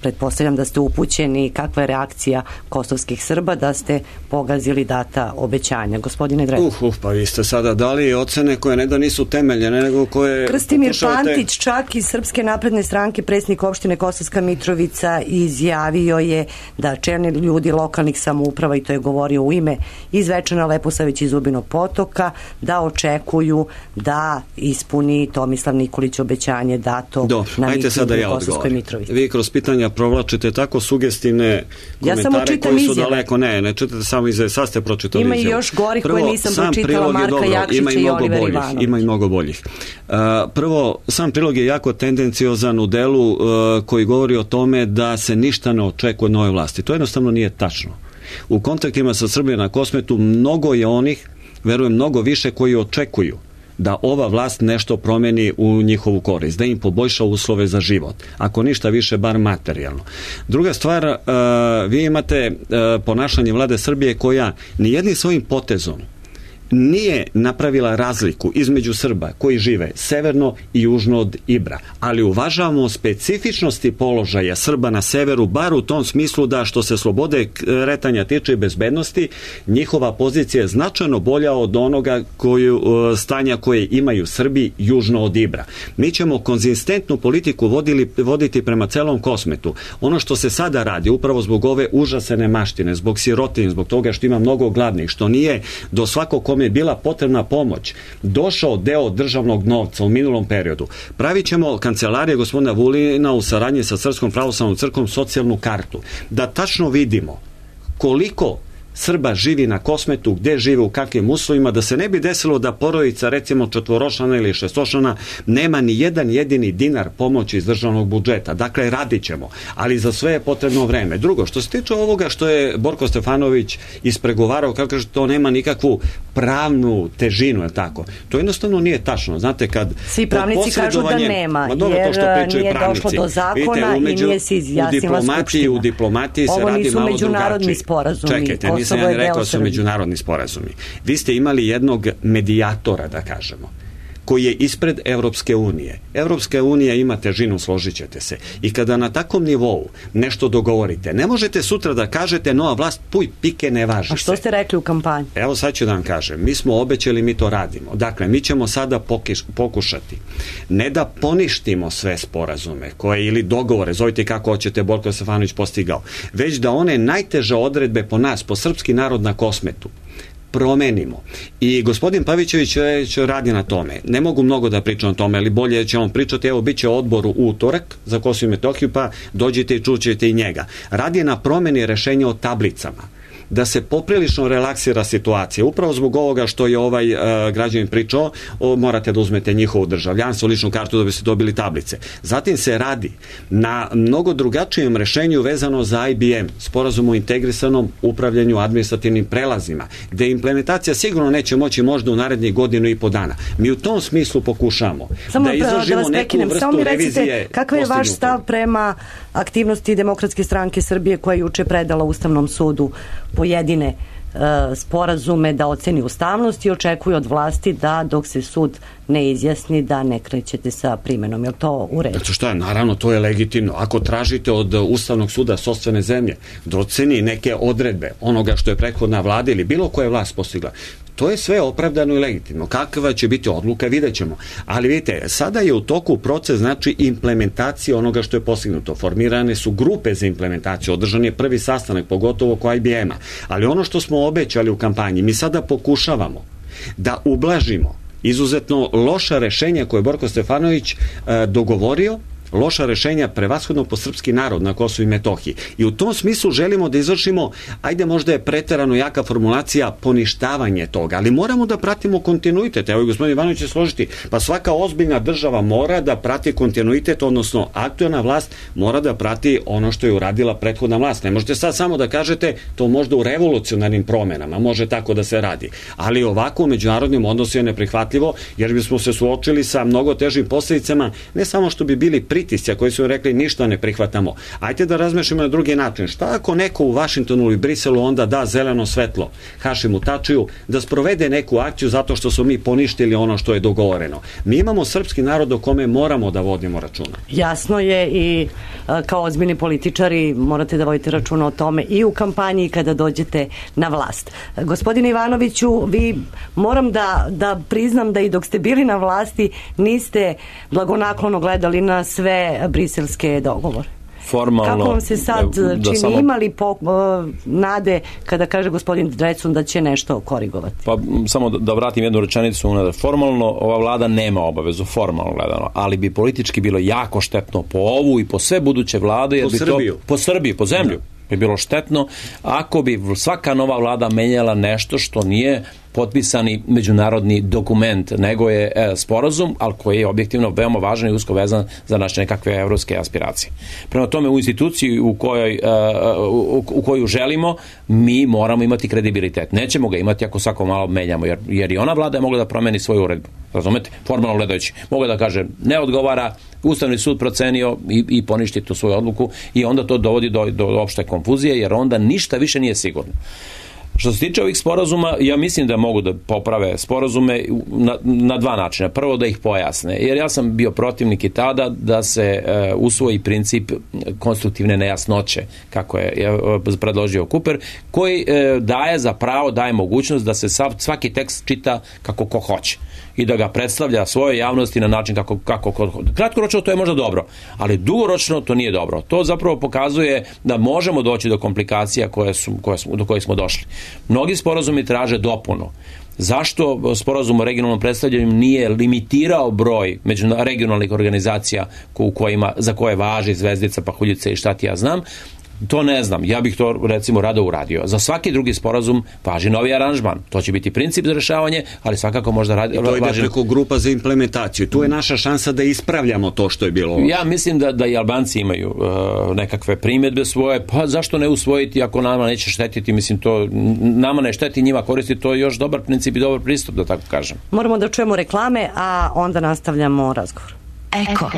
pretpostavljam da ste upućeni kakva je reakcija kosovskih Srba da ste pogazili data obećanja. Gospodine Drecun. Uf, uf, pa vi ste sada dali ocene koje ne da nisu temeljene, nego koje... Krstimir Pantić, čak iz Srpske napredne stranke, predsjednik opštine Kosovska Mitrovica, izjavio je da čelni ljudi lokalnih samouprava, i to je govorio u ime iz Zvečana, Leposavić i Zubinog Potoka, da očekuju da ispuni Tomislav Nikolić obećanje dato Do, na mitingu ja u Kosovskoj Mitrovici. Vi kroz pitanja provlačite tako sugestivne komentare ja koji su izjave. Daleko. Ne, ne čitate samo izjave, sad ste pročitali ima izjave. Ima i još gorih prvo, koje nisam pročitala, Marka dobro, Jakšića i, i Olivera Ivanovića. Ima i mnogo boljih. Uh, prvo, sam prilog je jako tendenciozan u delu uh, koji govori o tome da se ništa ne očekuje od nove vlasti. To jednostavno nije tačno. U kontaktima sa Srbije na Kosmetu mnogo je onih, verujem mnogo više, koji očekuju da ova vlast nešto promeni u njihovu korist, da im poboljša uslove za život. Ako ništa više, bar materijalno. Druga stvar, uh, vi imate uh, ponašanje vlade Srbije koja nijednim svojim potezom nije napravila razliku između Srba koji žive severno i južno od Ibra, ali uvažavamo specifičnosti položaja Srba na severu, bar u tom smislu da što se slobode kretanja tiče i bezbednosti, njihova pozicija je značajno bolja od onoga koju, stanja koje imaju Srbi južno od Ibra. Mi ćemo konzistentnu politiku vodili, voditi prema celom Kosmetu. Ono što se sada radi, upravo zbog ove užasene maštine, zbog sirotinje, zbog toga što ima mnogo gladnih, što nije do svakog kome je bila potrebna pomoć, došao deo državnog novca u minulom periodu. Pravit ćemo kancelarije gospodina Vulina u saradnji sa Srpskom pravoslavnom crkvom socijalnu kartu. Da tačno vidimo koliko Srba živi na Kosmetu, gde žive, u kakvim uslovima, da se ne bi desilo da porodica, recimo četvoročlana ili šestočlana, nema ni jedan jedini dinar pomoći iz državnog budžeta. Dakle, radit ćemo, ali za sve je potrebno vreme. Drugo, što se tiče ovoga što je Borko Stefanović ispregovarao, kako kaže, to nema nikakvu pravnu težinu, je tako? To jednostavno nije tačno. Znate, kad svi pravnici kažu da nema, dobro, jer to što pričaju nije pravnici. došlo do zakona. Vidite, umeđu, i nije se izjasnila Skupština. U diplomatiji se radi malo drugačije. Ovo nisu međunarodni sporazumi. Čekajte, nisam ja rekao da su međunarodni sporazumi. Vi ste imali jednog medijatora, da kažemo, koji je ispred Evropske unije. Evropska unija ima težinu, složit ćete se. I kada na takvom nivou nešto dogovorite, ne možete sutra da kažete nova vlast, puj, pike, ne važi se. A što ste rekli u kampanji? Evo sad ću da vam kažem. Mi smo obećali, mi to radimo. Dakle, mi ćemo sada pokiš, pokušati ne da poništimo sve sporazume koje ili dogovore, zovite kako hoćete, Borko Stefanović postigao, već da one najteže odredbe po nas, po srpski narod na Kosmetu, promenimo. I gospodin Pavićević već radi na tome. Ne mogu mnogo da pričam o tome, ali bolje će on pričati. Evo, bit će odbor u utorak za Kosovo i Metohiju, pa dođite i čućete i njega. Radi na promeni rešenja o tablicama, da se poprilično relaksira situacija. Upravo zbog ovoga što je ovaj uh, građanin pričao, o, morate da uzmete njihovo državljanstvo, ličnu kartu da biste dobili tablice. Zatim se radi na mnogo drugačijem rešenju vezano za I B M, sporazum o integrisanom upravljanju administrativnim prelazima, gde implementacija sigurno neće moći možda u narednih godinu i po dana. Mi u tom smislu pokušamo Samo da izražimo da neku vrstu Samo mi recite, revizije. Kakav je vaš stav prema aktivnosti Demokratske stranke Srbije koja je juče predala Ustavnom sudu pojedine e, sporazume da oceni ustavnost i očekuje od vlasti da dok se sud ne izjasni da ne krećete sa primenom. Je li to u redu? Znači šta je, naravno, to je legitimno. Ako tražite od Ustavnog suda sopstvene zemlje da oceni neke odredbe onoga što je prethodna vlada ili bilo koja vlast postigla, to je sve opravdano i legitimno. Kakva će biti odluka, vidjet ćemo. Ali vidite, sada je u toku proces, znači, implementacije onoga što je postignuto. Formirane su grupe za implementaciju, održan je prvi sastanak, pogotovo oko I B M-a. Ali ono što smo obećali u kampanji, mi sada pokušavamo da ublažimo izuzetno loša rešenja koje je Borko Stefanović e, dogovorio, loša rešenja prevashodno po srpski narod na Kosovu i Metohiji. I u tom smislu želimo da izvršimo, ajde možda je preterano jaka formulacija, poništavanje toga, ali moramo da pratimo kontinuitet. Evo i gospodin Ivanović će složiti, pa svaka ozbiljna država mora da prati kontinuitet, odnosno aktuelna vlast mora da prati ono što je uradila prethodna vlast. Ne možete sad samo da kažete to možda u revolucionarnim promenama, može tako da se radi. Ali ovako u međunarodnim odnosima je neprihvatljivo, jer bismo se suočili sa mnogo težim posledicama, ne samo što bi bili pritisci koji su rekli ništa ne prihvatamo. Ajde da razmišljamo na drugi način. Šta ako neko u Vašingtonu ili Briselu onda da zeleno svetlo Hašimu Tačiju da sprovede neku akciju zato što su mi poništili ono što je dogovoreno? Mi imamo srpski narod o kome moramo da vodimo računa. Jasno je i kao ozbiljni političari morate da vodite računa o tome i u kampanji kada dođete na vlast. Gospodine Ivanoviću, vi moram da, da priznam da i dok ste bili na vlasti niste blagonaklono gledali na sve briselske dogovore. Formalno, kako vam se sad da, da čini, samo... imali po, uh, nade kada kaže gospodin Drecun da će nešto korigovati? Pa samo da, da vratim jednu rečenicu unazad. Formalno ova vlada nema obavezu, formalno gledano, ali bi politički bilo jako štetno po ovu i po sve buduće vlade, jer po bi Srbiju. to po Srbiji, po zemlju. Da. Bi bilo štetno ako bi svaka nova vlada menjala nešto što nije potpisani međunarodni dokument, nego je e, sporazum, ali koji je objektivno veoma važan i usko vezan za naše nekakve evropske aspiracije. Prema tome, u instituciji u kojoj, e, u, u koju želimo, mi moramo imati kredibilitet. Nećemo ga imati ako svako malo menjamo, jer, jer i ona vlada je mogla da promeni svoju uredbu. Razumete? Formalno gledajući. Mogla da kaže ne odgovara, Ustavni sud procenio i, i poništi tu svoju odluku i onda to dovodi do, do opšte konfuzije, jer onda ništa više nije sigurno. Što se tiče ovih sporazuma, ja mislim da mogu da poprave sporazume na, na dva načina. Prvo da ih pojasne, jer ja sam bio protivnik i tada da se e, usvoji princip konstruktivne nejasnoće, kako je, je predložio Kuper, koji e, daje za pravo, daje mogućnost da se sav, svaki tekst čita kako ko hoće i da ga predstavlja svojoj javnosti na način kako, kako ko hoće. Kratkoročno to je možda dobro, ali dugoročno to nije dobro. To zapravo pokazuje da možemo doći do komplikacija koje su, koje smo, do kojih smo došli. Mnogi sporazumi traže dopunu. Zašto sporazum o regionalnom predstavljanju nije limitirao broj regionalnih organizacija u kojima, za koje važi zvezdica, pahuljica i šta ti ja znam? To ne znam, ja bih to recimo rado uradio. Za svaki drugi sporazum važi novi aranžman. To će biti princip za rešavanje, ali svakako možda radi... I to ide važi... preko grupa za implementaciju. Tu je naša šansa da ispravljamo to što je bilo. Ja mislim da, da i Albanci imaju uh, nekakve primjedbe svoje, pa zašto ne usvojiti ako nama neće štetiti, mislim to nama ne šteti, njima koristi, to je još dobar princip i dobar pristup, da tako kažem. Moramo da čujemo reklame, a onda nastavljamo razgovor. Eko.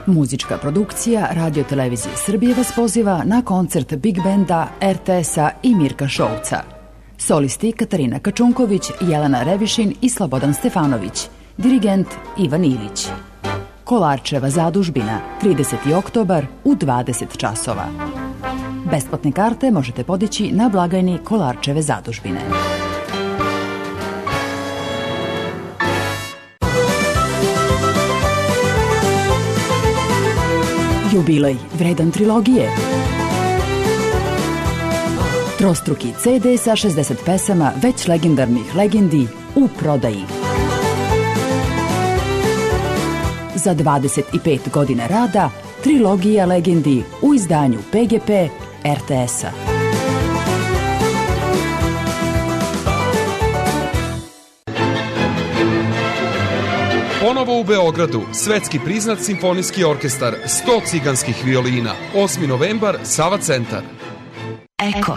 Muzička produkcija Radio Televizije Srbije vas poziva na koncert Big Benda, er te esa i Mirka Šouca. Solisti Katarina Kačunković, Jelena Revišin i Slobodan Stefanović. Dirigent Ivan Ilić. Kolarčeva zadužbina, trideseti oktobar u dvadeset časova. Besplatne karte možete podići na blagajni Kolarčeve zadužbine. Jubilej vredan trilogije. Trostruki ce de sa šezdeset pesama već legendarnih legendi u prodaji. Za dvadeset pet godina rada trilogija legendi u izdanju pe ge pe er te esa. Ponovo u Beogradu, svetski priznat simfonijski orkestar, sto ciganskih violina, osmi novembar, Sava centar. Eko.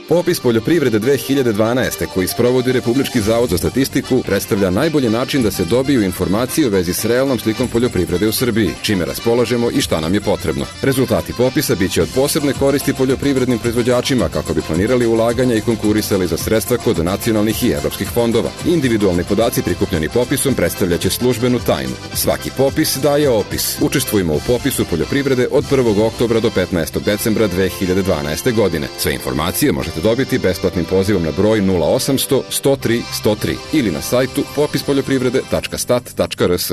Popis poljoprivrede dve hiljade dvanaeste koji sprovodi Republički zavod za statistiku predstavlja najbolji način da se dobiju informacije u vezi s realnom slikom poljoprivrede u Srbiji, čime raspolažemo i šta nam je potrebno. Rezultati popisa biće od posebne koristi poljoprivrednim proizvođačima kako bi planirali ulaganja i konkurisali za sredstva kod nacionalnih i evropskih fondova. Individualni podaci prikupljeni popisom predstavljaće službenu tajnu. Svaki popis daje opis. Učestvujemo u popisu poljoprivrede od prvog oktobra do petnaestog decembra dve hiljade dvanaeste godine. Sve informacije možete dobiti besplatnim pozivom na broj nula osamsto sto tri sto tri ili na sajtu popis poljoprivrede tačka stat tačka er es.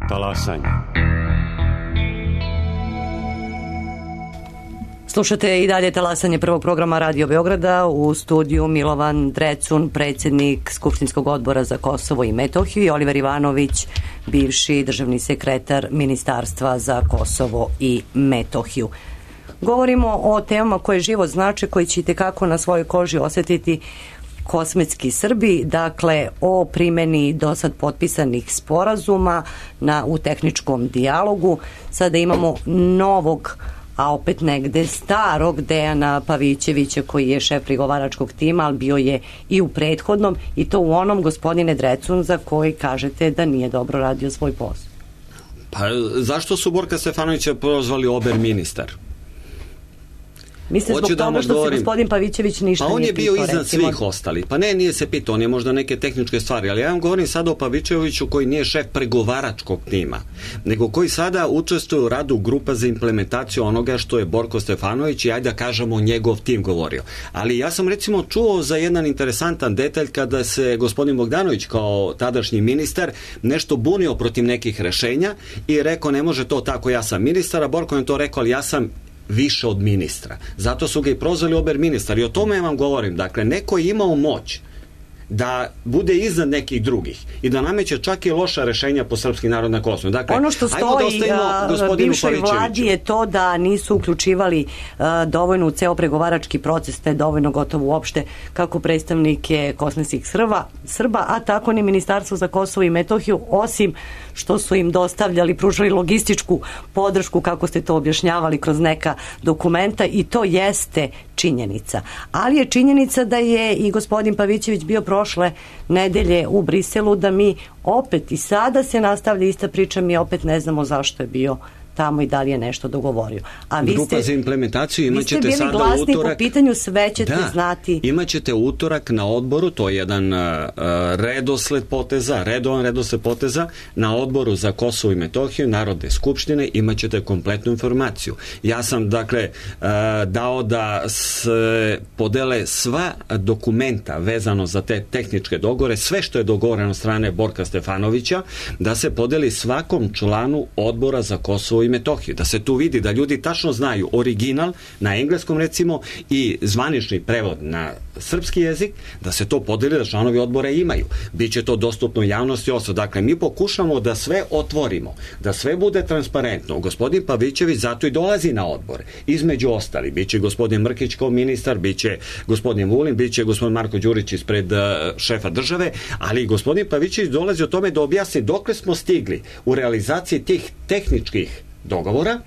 Talasanje. Slušate i dalje talasanje prvog programa Radio Beograda, u studiju Milovan Drecun, predsjednik Skupštinskog odbora za Kosovo i Metohiju, i Oliver Ivanović, bivši državni sekretar Ministarstva za Kosovo i Metohiju. Govorimo o temama koje život znače, koji ćete kako na svojoj koži osjetiti kosmetski Srbi, dakle o primjeni do sad potpisanih sporazuma na, u tehničkom dijalogu. Sada imamo novog, a opet negde starog Dejana Pavićevića koji je šef pregovaračkog tima, ali bio je i u prethodnom, i to u onom, gospodine Drecun, za koji kažete da nije dobro radio svoj posao. Pa zašto su Borka Stefanovića prozvali ober ministar? Mislim zbog toga što se gospodin Pavićević ništa pa on nije je bio pitao, iznad recimo. svih ostalih. Pa ne, nije se pitao, on je možda neke tehničke stvari, ali ja vam govorim sada o Pavićeviću koji nije šef pregovaračkog tima, nego koji sada učestvuje u radu grupa za implementaciju onoga što je Borko Stefanović i ajde da kažemo njegov tim govorio. Ali ja sam recimo čuo za jedan interesantan detalj kada se gospodin Bogdanović kao tadašnji ministar nešto bunio protiv nekih rešenja i rekao ne može to tako, ja sam ministar, a Borko je to rekao, ali ja sam više od ministra. Zato su ga i prozvali ober ministar. I o tome vam govorim. Dakle, neko je imao moć da bude iznad nekih drugih i da nameće čak i loša rešenja po srpski narod na Kosovu. Dakle, ono što stoji da bivšoj vladi je to da nisu uključivali a, dovoljno u ceo pregovarački proces, te dovoljno gotovo uopšte kako predstavnike kosovskih Srba, Srba, a tako ni Ministarstvo za Kosovo i Metohiju, osim što su im dostavljali, pružali logističku podršku, kako ste to objašnjavali, kroz neka dokumenta, i to jeste činjenica. Ali je činjenica da je i gospodin Pavićević bio prošle nedelje u Briselu, da mi opet i sada se nastavlja ista priča, mi opet ne znamo zašto je bio tamo i da li je nešto dogovorio. A vi Grupa ste, za implementaciju imaćete vi ste sada bili glasni utorak. Po pitanju, sve ćete da, znati. Imaćete utorak na odboru, to je jedan uh, redosled poteza, redovan redosled poteza, na odboru za Kosovo i Metohiju Narodne skupštine imaćete kompletnu informaciju. Ja sam dakle uh, dao da se podele sva dokumenta vezano za te tehničke dogovore, sve što je dogovoreno od strane Borka Stefanovića, da se podeli svakom članu odbora za Kosovo i i Metohiju, da se tu vidi, da ljudi tačno znaju original na engleskom recimo i zvanični prevod na srpski jezik, da se to podeli, da članovi odbora imaju. Biće to dostupno javnosti oso. Dakle, mi pokušamo da sve otvorimo, da sve bude transparentno. Gospodin Pavićević zato i dolazi na odbor. Između ostali, biće gospodin Mrkić kao ministar, biće gospodin Vulin, biće gospodin Marko Đurić ispred uh, šefa države, ali gospodin Pavićević dolazi o tome da objasni dokle smo stigli u realizaciji tih tehničkih dogovora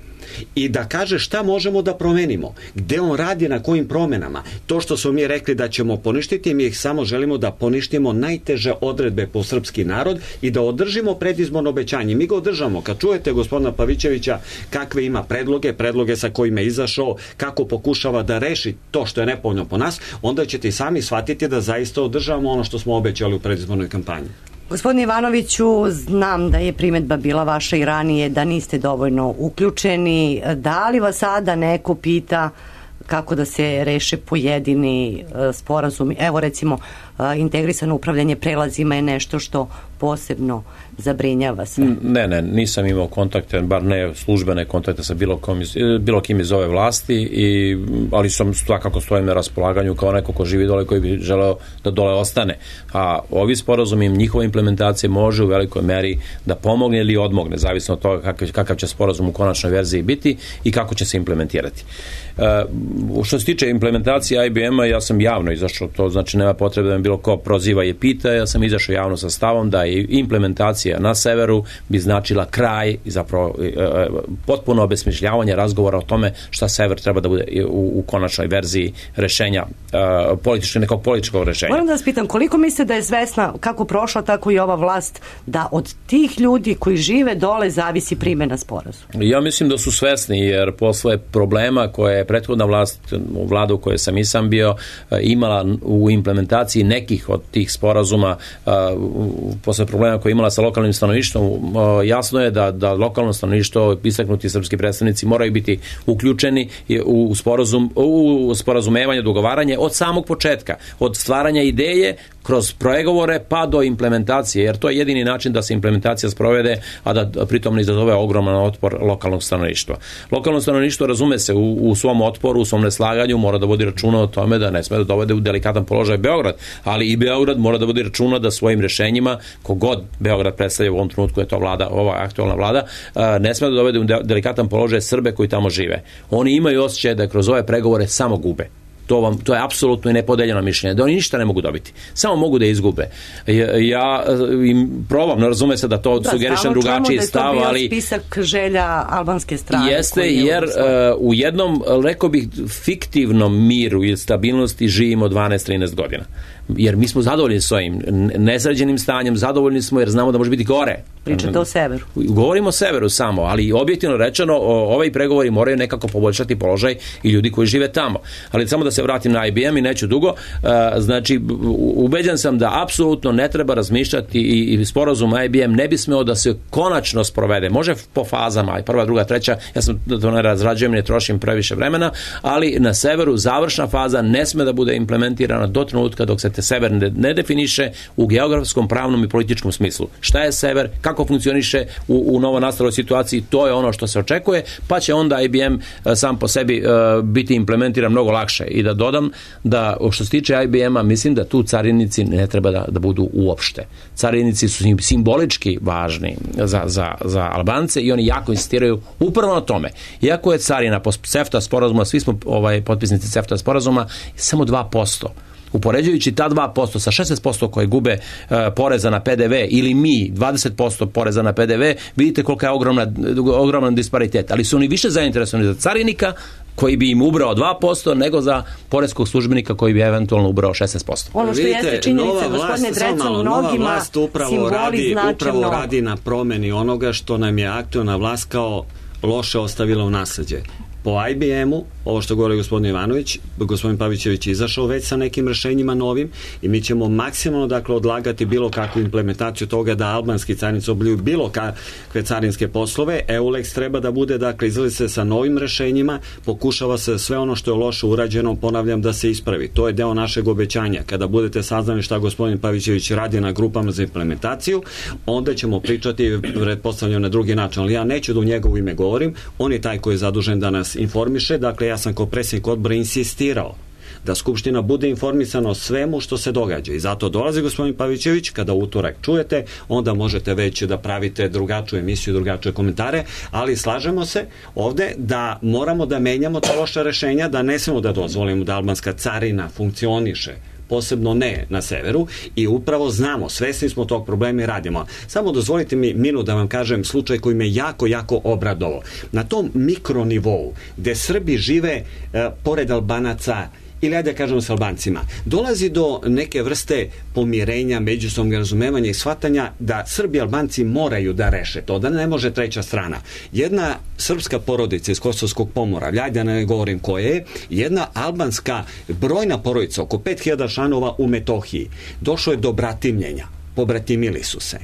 i da kaže šta možemo da promenimo, gde on radi, na kojim promenama. To što smo mi rekli da ćemo poništiti, mi ih samo želimo da poništimo najteže odredbe po srpski narod i da održimo predizborno obećanje. Mi ga održamo. Kad čujete gospodina Pavićevića kakve ima predloge, predloge sa kojima je izašao, kako pokušava da reši to što je nepovoljno po nas, onda ćete i sami shvatiti da zaista održavamo ono što smo obećali u predizbornoj kampanji. Gospodine Ivanoviću, znam da je primedba bila vaša i ranije da niste dovoljno uključeni. Da li vas sada neko pita kako da se reše pojedini sporazumi? Evo recimo, integrisano upravljanje prelazima je nešto što posebno zabrinjava se. Ne, ne, nisam imao kontakte, bar ne službene kontakte sa bilo, kom iz, bilo kim iz ove vlasti, i, ali sam svakako stojim na raspolaganju kao neko ko živi dole, koji bi želeo da dole ostane. A ovi sporazumi, njihova implementacija može u velikoj meri da pomogne ili odmogne, zavisno od toga kakav, kakav će sporazum u konačnoj verziji biti i kako će se implementirati. E, što se tiče implementacije I B M-a, ja sam javno izašao, to znači nema potrebe da me bilo ko proziva i pita, ja sam izašao javno sa stavom da i implementacija na severu bi značila kraj i zapravo e, e, potpuno obesmišljavanje razgovora o tome šta sever treba da bude u, u konačnoj verziji rešenja, e, političke, nekog političkog rešenja. Moram da vas pitam, koliko mislite da je svesna kako prošla, tako i ova vlast, da od tih ljudi koji žive dole zavisi primjena sporazuma? Ja mislim da su svesni, jer posle problema koje je prethodna vlast, vlada u kojoj sam i sam bio, imala u implementaciji nekih od tih sporazuma, posle problema koje je imala sa lokalnim stanovništvom, jasno je da, da lokalno stanovništvo, istaknuti srpski predstavnici moraju biti uključeni u, sporazum, u sporazumevanje, dogovaranje od samog početka, od stvaranja ideje kroz pregovore pa do implementacije, jer to je jedini način da se implementacija sprovede, a da pritom ne izazove ogroman otpor lokalnog stanovništva. Lokalno stanovništvo, razume se, u, u svom otporu, u svom neslaganju mora da vodi računa o tome da ne sme da dovede u delikatan položaj Beograd, ali i Beograd mora da vodi računa da svojim rešenjima, kogod Beograd predstavlja u ovom trenutku, je to vlada, ova aktualna vlada, ne sme da dovede u delikatan položaj Srbe koji tamo žive. Oni imaju osjećaj da kroz ove pregovore samo gube. To, vam, to je apsolutno i nepodeljeno mišljenje, da oni ništa ne mogu dobiti, samo mogu da izgube. Ja, ja im probam, ne razume se da to da, sugerišem drugačiji stav, ali... Da, spisak želja albanske strane. Jeste, jer uh, u jednom, rekao bih, fiktivnom miru i stabilnosti živimo dvanaest trinaest godina. Jer mi smo zadovoljni s ovim nesređenim stanjem, zadovoljni smo jer znamo da može biti gore. Pričate o severu. Govorimo o severu samo, ali objektivno rečeno, ovaj pregovori moraju nekako poboljšati položaj i ljudi koji žive tamo. Ali samo da se vratim na I B M i neću dugo, znači ubeđen sam da apsolutno ne treba razmišljati i, i sporazum I B M ne bi smeo da se konačno sprovede. Može po fazama, prva, druga, treća, ja sam to ne razrađujem, ne trošim previše vremena, ali na severu završna faza ne sme da bude implementirana do trenutka dok se te sever ne, ne definiše u geografskom, pravnom i političkom smislu. Šta je sever, kako funkcioniše u, u novonastaloj situaciji, to je ono što se očekuje, pa će onda I B M sam po sebi uh, biti implementiran mnogo lakše. I da dodam da što se tiče I B M-a, mislim da tu carinici ne treba da, da budu uopšte. Carinici su simbolički važni za, za, za Albance i oni jako insistiraju upravo na tome. Iako je carina po CEFTA sporazuma, svi smo ovaj, potpisnici CEFTA sporazuma, samo dva posto. Upoređujući ta dva posto sa šesnaest posto koje gube uh, poreza na P D V ili mi dvadeset posto poreza na P D V, vidite kolika je ogromna, ogroman disparitet. Ali su oni više zainteresovani za carinika koji bi im ubrao dva posto nego za poreskog službenika koji bi eventualno ubrao šesnaest posto. Ono što jeste činjenica, gospodine Drecan, mnogima vlast upravo radi, značajno... upravo radi na promeni onoga što nam je aktualna vlast kao loše ostavila u nasleđe. po I B M-u, ovo što govori gospodin Ivanović, gospodin Pavićević je izašao već sa nekim rešenjima novim i mi ćemo maksimalno dakle odlagati bilo kakvu implementaciju toga da albanski carinici obavljaju bilo kakve carinske poslove. EULEX treba da bude dakle izlazi se sa novim rešenjima, pokušava se sve ono što je loše urađeno, ponavljam, da se ispravi. To je deo našeg obećanja. Kada budete saznali šta gospodin Pavićević radi na grupama za implementaciju, onda ćemo pričati pretpostavljam na drugi način, ali ja neću da u njegovo ime govorim, on je taj koji je zadužen da nas informiše, dakle ja sam kao predsjednik odbora insistirao da Skupština bude informisana o svemu što se događa i zato dolazi gospodin Pavićević, kada utorak čujete, onda možete već da pravite drugačiju emisiju, drugačije komentare, ali slažemo se ovde da moramo da menjamo ta loša rešenja, da ne smemo da dozvolimo da albanska carina funkcioniše, posebno ne na severu i upravo znamo, svesni smo tog problema i radimo. Samo dozvolite mi minut da vam kažem slučaj koji me jako, jako obradovao. Na tom mikronivou gde Srbi žive e, pored Albanaca ili ajde da kažemo s Albancima, dolazi do neke vrste pomirenja, međusobnog razumevanja i shvatanja da Srbi i Albanci moraju da reše to, da ne može treća strana. Jedna srpska porodica iz Kosovskog Pomoravlja, ajde da ne govorim koje je, jedna albanska brojna porodica, oko pet hiljada članova u Metohiji, došlo je do bratimljenja, pobratimili su se.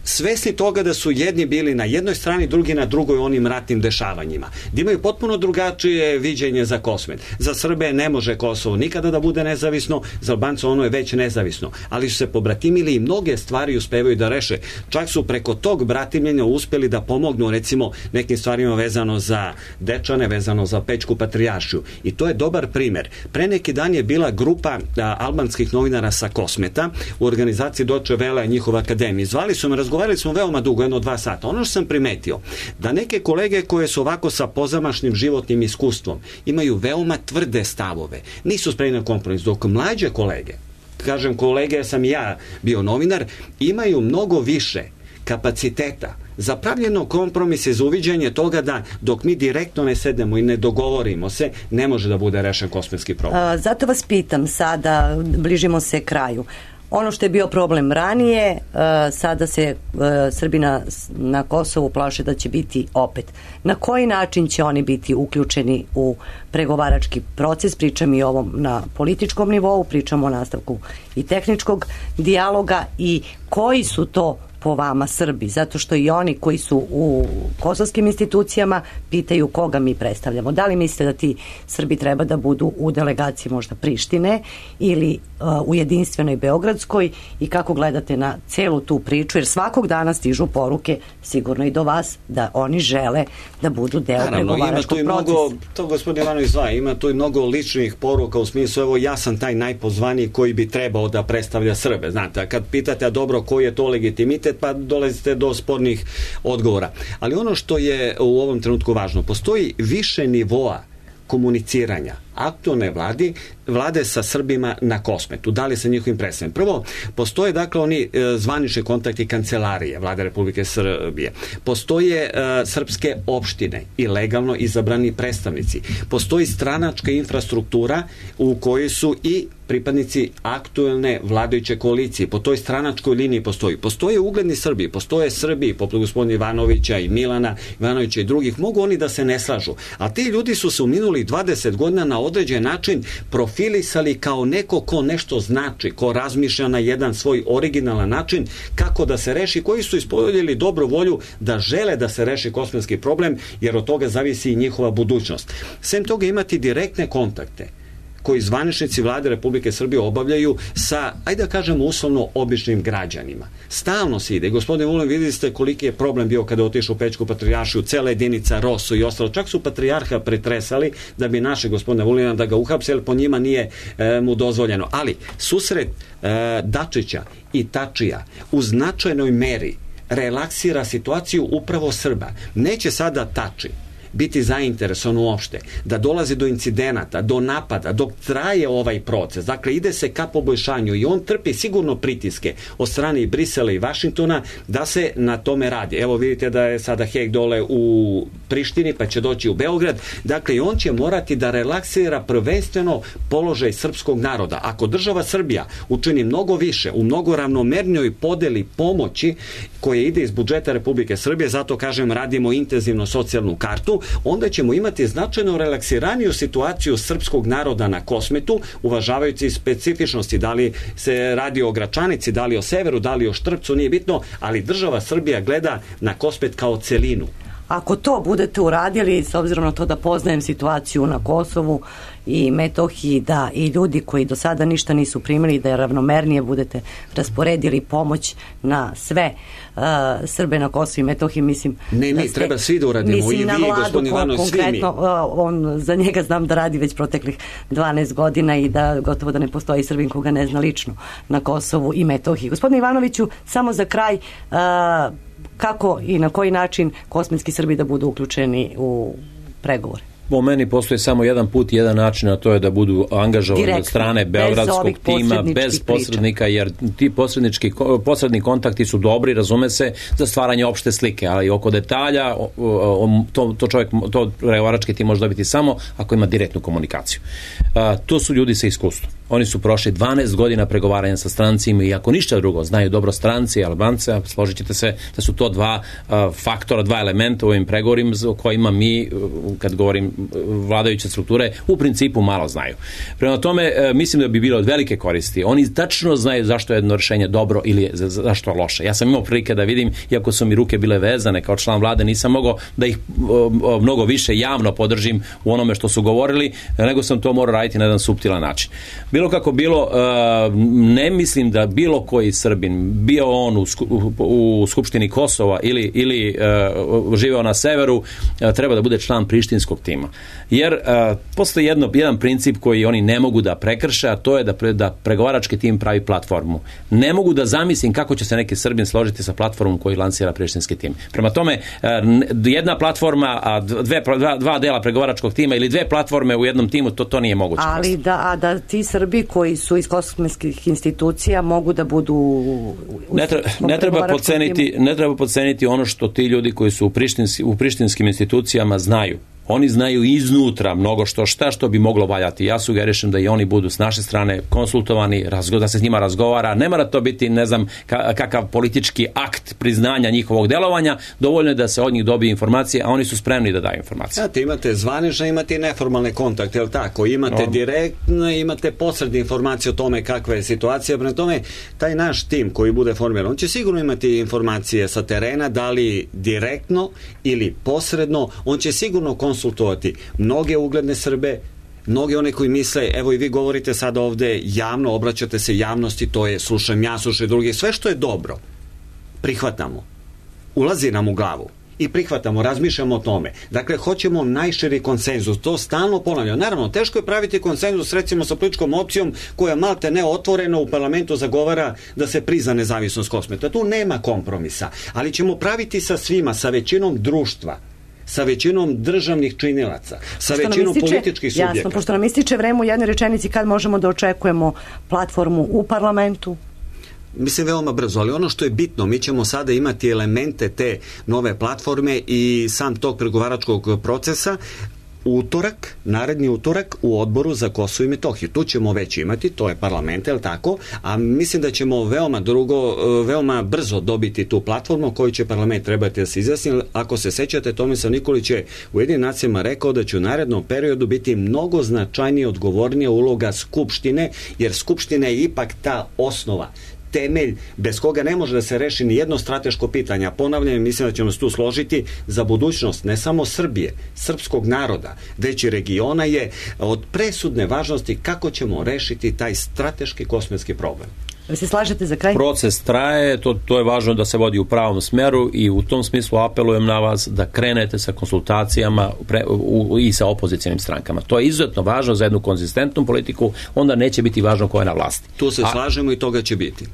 Svesni toga da su jedni bili na jednoj strani, drugi na drugoj onim ratnim dešavanjima. Da imaju potpuno drugačije viđenje za Kosmet. Za Srbe ne može Kosovo nikada da bude nezavisno, za Albance ono je već nezavisno. Ali su se pobratimili i mnoge stvari uspevaju da reše. Čak su preko tog bratimljenja uspeli da pomognu recimo nekim stvarima vezano za Dečane, vezano za Pećku patrijaršiju. I to je dobar primer. Pre neki dan je bila grupa a, albanskih novinara sa Kosmeta u organizaciji Deutsche Welle, njihova akademija. Zvali su me, razgovarali smo veoma dugo, jedno dva sata. Ono što sam primetio, da neke kolege koje su ovako sa pozamašnim životnim iskustvom imaju veoma tvrde stavove, nisu spremni na kompromis, dok mlađe kolege, kažem kolege, sam i ja bio novinar, imaju mnogo više kapaciteta za pravljeno kompromise, za uviđanje toga da dok mi direktno ne sedemo i ne dogovorimo se, ne može da bude rešen kosmetski problem. A, zato vas pitam sada, bližimo se kraju. Ono što je bio problem ranije, uh, sada se uh, Srbi na, na Kosovu plaše da će biti opet. Na koji način će oni biti uključeni u pregovarački proces? Pričam i ovom na političkom nivou, pričam o nastavku i tehničkog dijaloga i koji su to po vama Srbi, zato što i oni koji su u kosovskim institucijama pitaju koga mi predstavljamo. Da li mislite da ti Srbi treba da budu u delegaciji možda Prištine ili uh, u jedinstvenoj Beogradskoj i kako gledate na celu tu priču, jer svakog dana stižu poruke sigurno i do vas da oni žele da budu deo Naravno, pregovaračkog ima tu i procesa. mnogo, to gospodin Ivanović zva, ima tu i mnogo ličnih poruka u smislu, evo ja sam taj najpozvaniji koji bi trebao da predstavlja Srbe. Znate, a kad pitate, a dobro, koji je to legitimitet, pa dolazite do spornih odgovora. Ali ono što je u ovom trenutku važno, postoji više nivoa komuniciranja aktualne vladi, vlade sa Srbima na Kosmetu, da li sa njihovim predstavljanjem. Prvo, postoje dakle oni e, zvanični kontakti kancelarije Vlade Republike Srbije. Postoje e, srpske opštine i legalno izabrani predstavnici. Postoji stranačka infrastruktura u kojoj su i pripadnici aktuelne vladajuće koalicije. Po toj stranačkoj liniji postoji. Postoje ugledni Srbi, postoje Srbi poput gospodina Ivanovića i Milana Ivanovića i drugih. Mogu oni da se ne slažu. A ti ljudi su se u minulih dvadeset godina na određen način profilisali kao neko ko nešto znači, ko razmišlja na jedan svoj originalan način kako da se reši, koji su ispoljili dobru volju da žele da se reši kosmetski problem, jer od toga zavisi i njihova budućnost. Sem toga imati direktne kontakte koji zvaničnici Vlade Republike Srbije obavljaju sa, ajde da kažemo uslovno, običnim građanima. Stalno se ide. Gospodin Vulin, videli ste koliki je problem bio kada je otišao u Pećku patrijaršiju, cela jedinica Rosu i ostalo. Čak su patrijarha pretresali da bi naše gospodina Vulina da ga uhapse, jer po njima nije e, mu dozvoljeno. Ali susret e, Dačića i Tačija u značajnoj meri relaksira situaciju upravo Srba. Neće sada Tači biti zainteresovan uopšte, da dolazi do incidenata, do napada, dok traje ovaj proces. Dakle, ide se ka poboljšanju i on trpi sigurno pritiske od strane i Brisela i Vašingtona da se na tome radi. Evo vidite da je sada Heg dole u Prištini, pa će doći u Beograd. Dakle, i on će morati da relaksira prvenstveno položaj srpskog naroda. Ako država Srbija učini mnogo više, u mnogo ravnomernijoj podeli pomoći koje ide iz budžeta Republike Srbije, zato kažem radimo intenzivno socijalnu kartu, onda ćemo imati značajno relaksiraniju situaciju srpskog naroda na Kosmetu, uvažavajući specifičnosti, da li se radi o Gračanici, da li o severu, da li o Štrpcu, nije bitno, ali država Srbija gleda na Kosmet kao celinu. Ako to budete uradili, s obzirom na to da poznajem situaciju na Kosovu i Metohiji, da i ljudi koji do sada ništa nisu primili, da je ravnomernije budete rasporedili pomoć na sve uh, Srbe na Kosovu i Metohiji, mislim... Ne, ne, ste, treba svi da uradimo, i vi, gospodin Ivanović, svi mi. Uh, on, za njega znam da radi već proteklih dvanaest godina i da gotovo da ne postoji Srbin koga ne zna lično na Kosovu i Metohiji. Gospodine Ivanoviću, samo za kraj... Uh, kako i na koji način kosmetski Srbi da budu uključeni u pregovore? Po meni postoji samo jedan put i jedan način, a to je da budu angažovani direktno, od strane beogradskog tima, bez posrednika, priča. Jer ti posrednički, posredni kontakti su dobri, razume se, za stvaranje opšte slike, ali oko detalja to, to čovjek, to pregovarački tim može dobiti samo ako ima direktnu komunikaciju. A, to su ljudi sa iskustvom. Oni su prošli dvanaest godina pregovaranja sa strancima i ako ništa drugo, znaju dobro stranci i Albance, a složit ćete se da su to dva a, faktora, dva elementa u ovim pregovorima o kojima mi, kad govorim vladajuće strukture, u principu malo znaju. Prema tome, mislim da bi bilo od velike koristi. Oni tačno znaju zašto je jedno rješenje dobro ili je, zašto je loše. Ja sam imao prilike da vidim, iako su mi ruke bile vezane kao član vlade, nisam mogao da ih o, mnogo više javno podržim u onome što su govorili, nego sam to morao raditi na jedan suptilan način. Bilo kako bilo, ne mislim da bilo koji Srbin, bio on u, u Skupštini Kosova ili, ili živeo na severu, treba da bude član prištinskog tima. Jer uh, postoji jedno, jedan princip koji oni ne mogu da prekrše, a to je da, pre, da pregovarački tim pravi platformu. Ne mogu da zamislim kako će se neki Srbin složiti sa platformom koji lansira prištinski tim. Prema tome, uh, jedna platforma, a dve, dva, dva dela pregovaračkog tima ili dve platforme u jednom timu, to, to nije moguće. Ali da, a da ti Srbi koji su iz kosmetskih institucija mogu da budu... U, ne, treba, ne, treba podceniti, ne treba podceniti ono što ti ljudi koji su u, prištinski, u prištinskim institucijama znaju. Oni znaju iznutra mnogo što šta što bi moglo valjati. Ja sugerišem da i oni budu s naše strane konsultovani, razgo, da se s njima razgovara. Ne mora to biti, ne znam, kakav politički akt priznanja njihovog delovanja. Dovoljno je da se od njih dobije informacije, a oni su spremni da daju informacije. Znate, imate zvanične, imate i neformalne kontakte, je li tako? Imate no. direktno, imate posredne informacije o tome kakva je situacija. Prema tome, taj naš tim koji bude formiran, on će sigurno imati informacije sa terena, da li direktno ili posredno, on će sigurno konsultovati konsultovati mnoge ugledne Srbe, mnoge one koji misle, evo i vi govorite sada ovde javno, obraćate se javnosti, to je slušam ja, slušaj drugi, sve što je dobro prihvatamo, ulazi nam u glavu i prihvatamo, razmišljamo o tome. Dakle, hoćemo najširi konsenzus, to stalno ponavljamo. Naravno, teško je praviti konsenzus recimo sa političkom opcijom koja malte ne otvoreno u parlamentu zagovara da se prizna nezavisnost Kosmeta. Tu nema kompromisa, ali ćemo praviti sa svima, sa većinom društva, sa većinom državnih činilaca, sa pošto većinom ističe, političkih subjekata. Jasno, pošto nam ističe vreme u jednoj rečenici, kad možemo da očekujemo platformu u parlamentu? Mislim veoma brzo, ali ono što je bitno, mi ćemo sada imati elemente te nove platforme i sam tog pregovaračkog procesa utorak, naredni utorak u odboru za Kosovo i Metohiju. Tu ćemo već imati, to je parlament, je li tako? A mislim da ćemo veoma drugo, veoma brzo dobiti tu platformu koju će parlament trebati da se izjasni. Ako se sećate, Tomislav Nikolić je u Ujedinim nacijama rekao da će u narednom periodu biti mnogo značajnije, odgovornija uloga Skupštine, jer Skupština je ipak ta osnova, temelj bez koga ne može da se reši ni jedno strateško pitanje. Ponavljam, mislim da ćemo se tu složiti, za budućnost ne samo Srbije, srpskog naroda, već i regiona je od presudne važnosti kako ćemo rešiti taj strateški kosmetski problem. Vi se slažete za kraj? Proces traje, to, to je važno da se vodi u pravom smeru i u tom smislu apelujem na vas da krenete sa konsultacijama pre, u, i sa opozicijnim strankama. To je izuzetno važno za jednu konzistentnu politiku, onda neće biti važno ko je na vlasti. Tu se A, slažemo i toga će biti.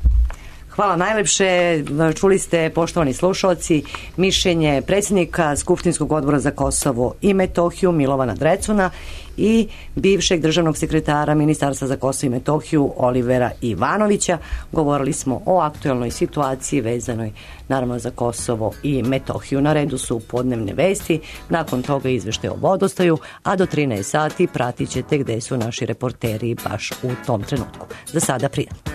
Hvala najlepše. Čuli ste, poštovani slušalci, mišljenje predsjednika Skupštinskog odbora za Kosovo i Metohiju Milovana Drecuna i bivšeg državnog sekretara Ministarstva za Kosovo i Metohiju Olivera Ivanovića. Govorili smo o aktuelnoj situaciji vezanoj naravno za Kosovo i Metohiju. Na redu su podnevne vesti, nakon toga izveštaj o vodostaju, a do trinaest sati pratit ćete gde su naši reporteri baš u tom trenutku. Za sada prijatno.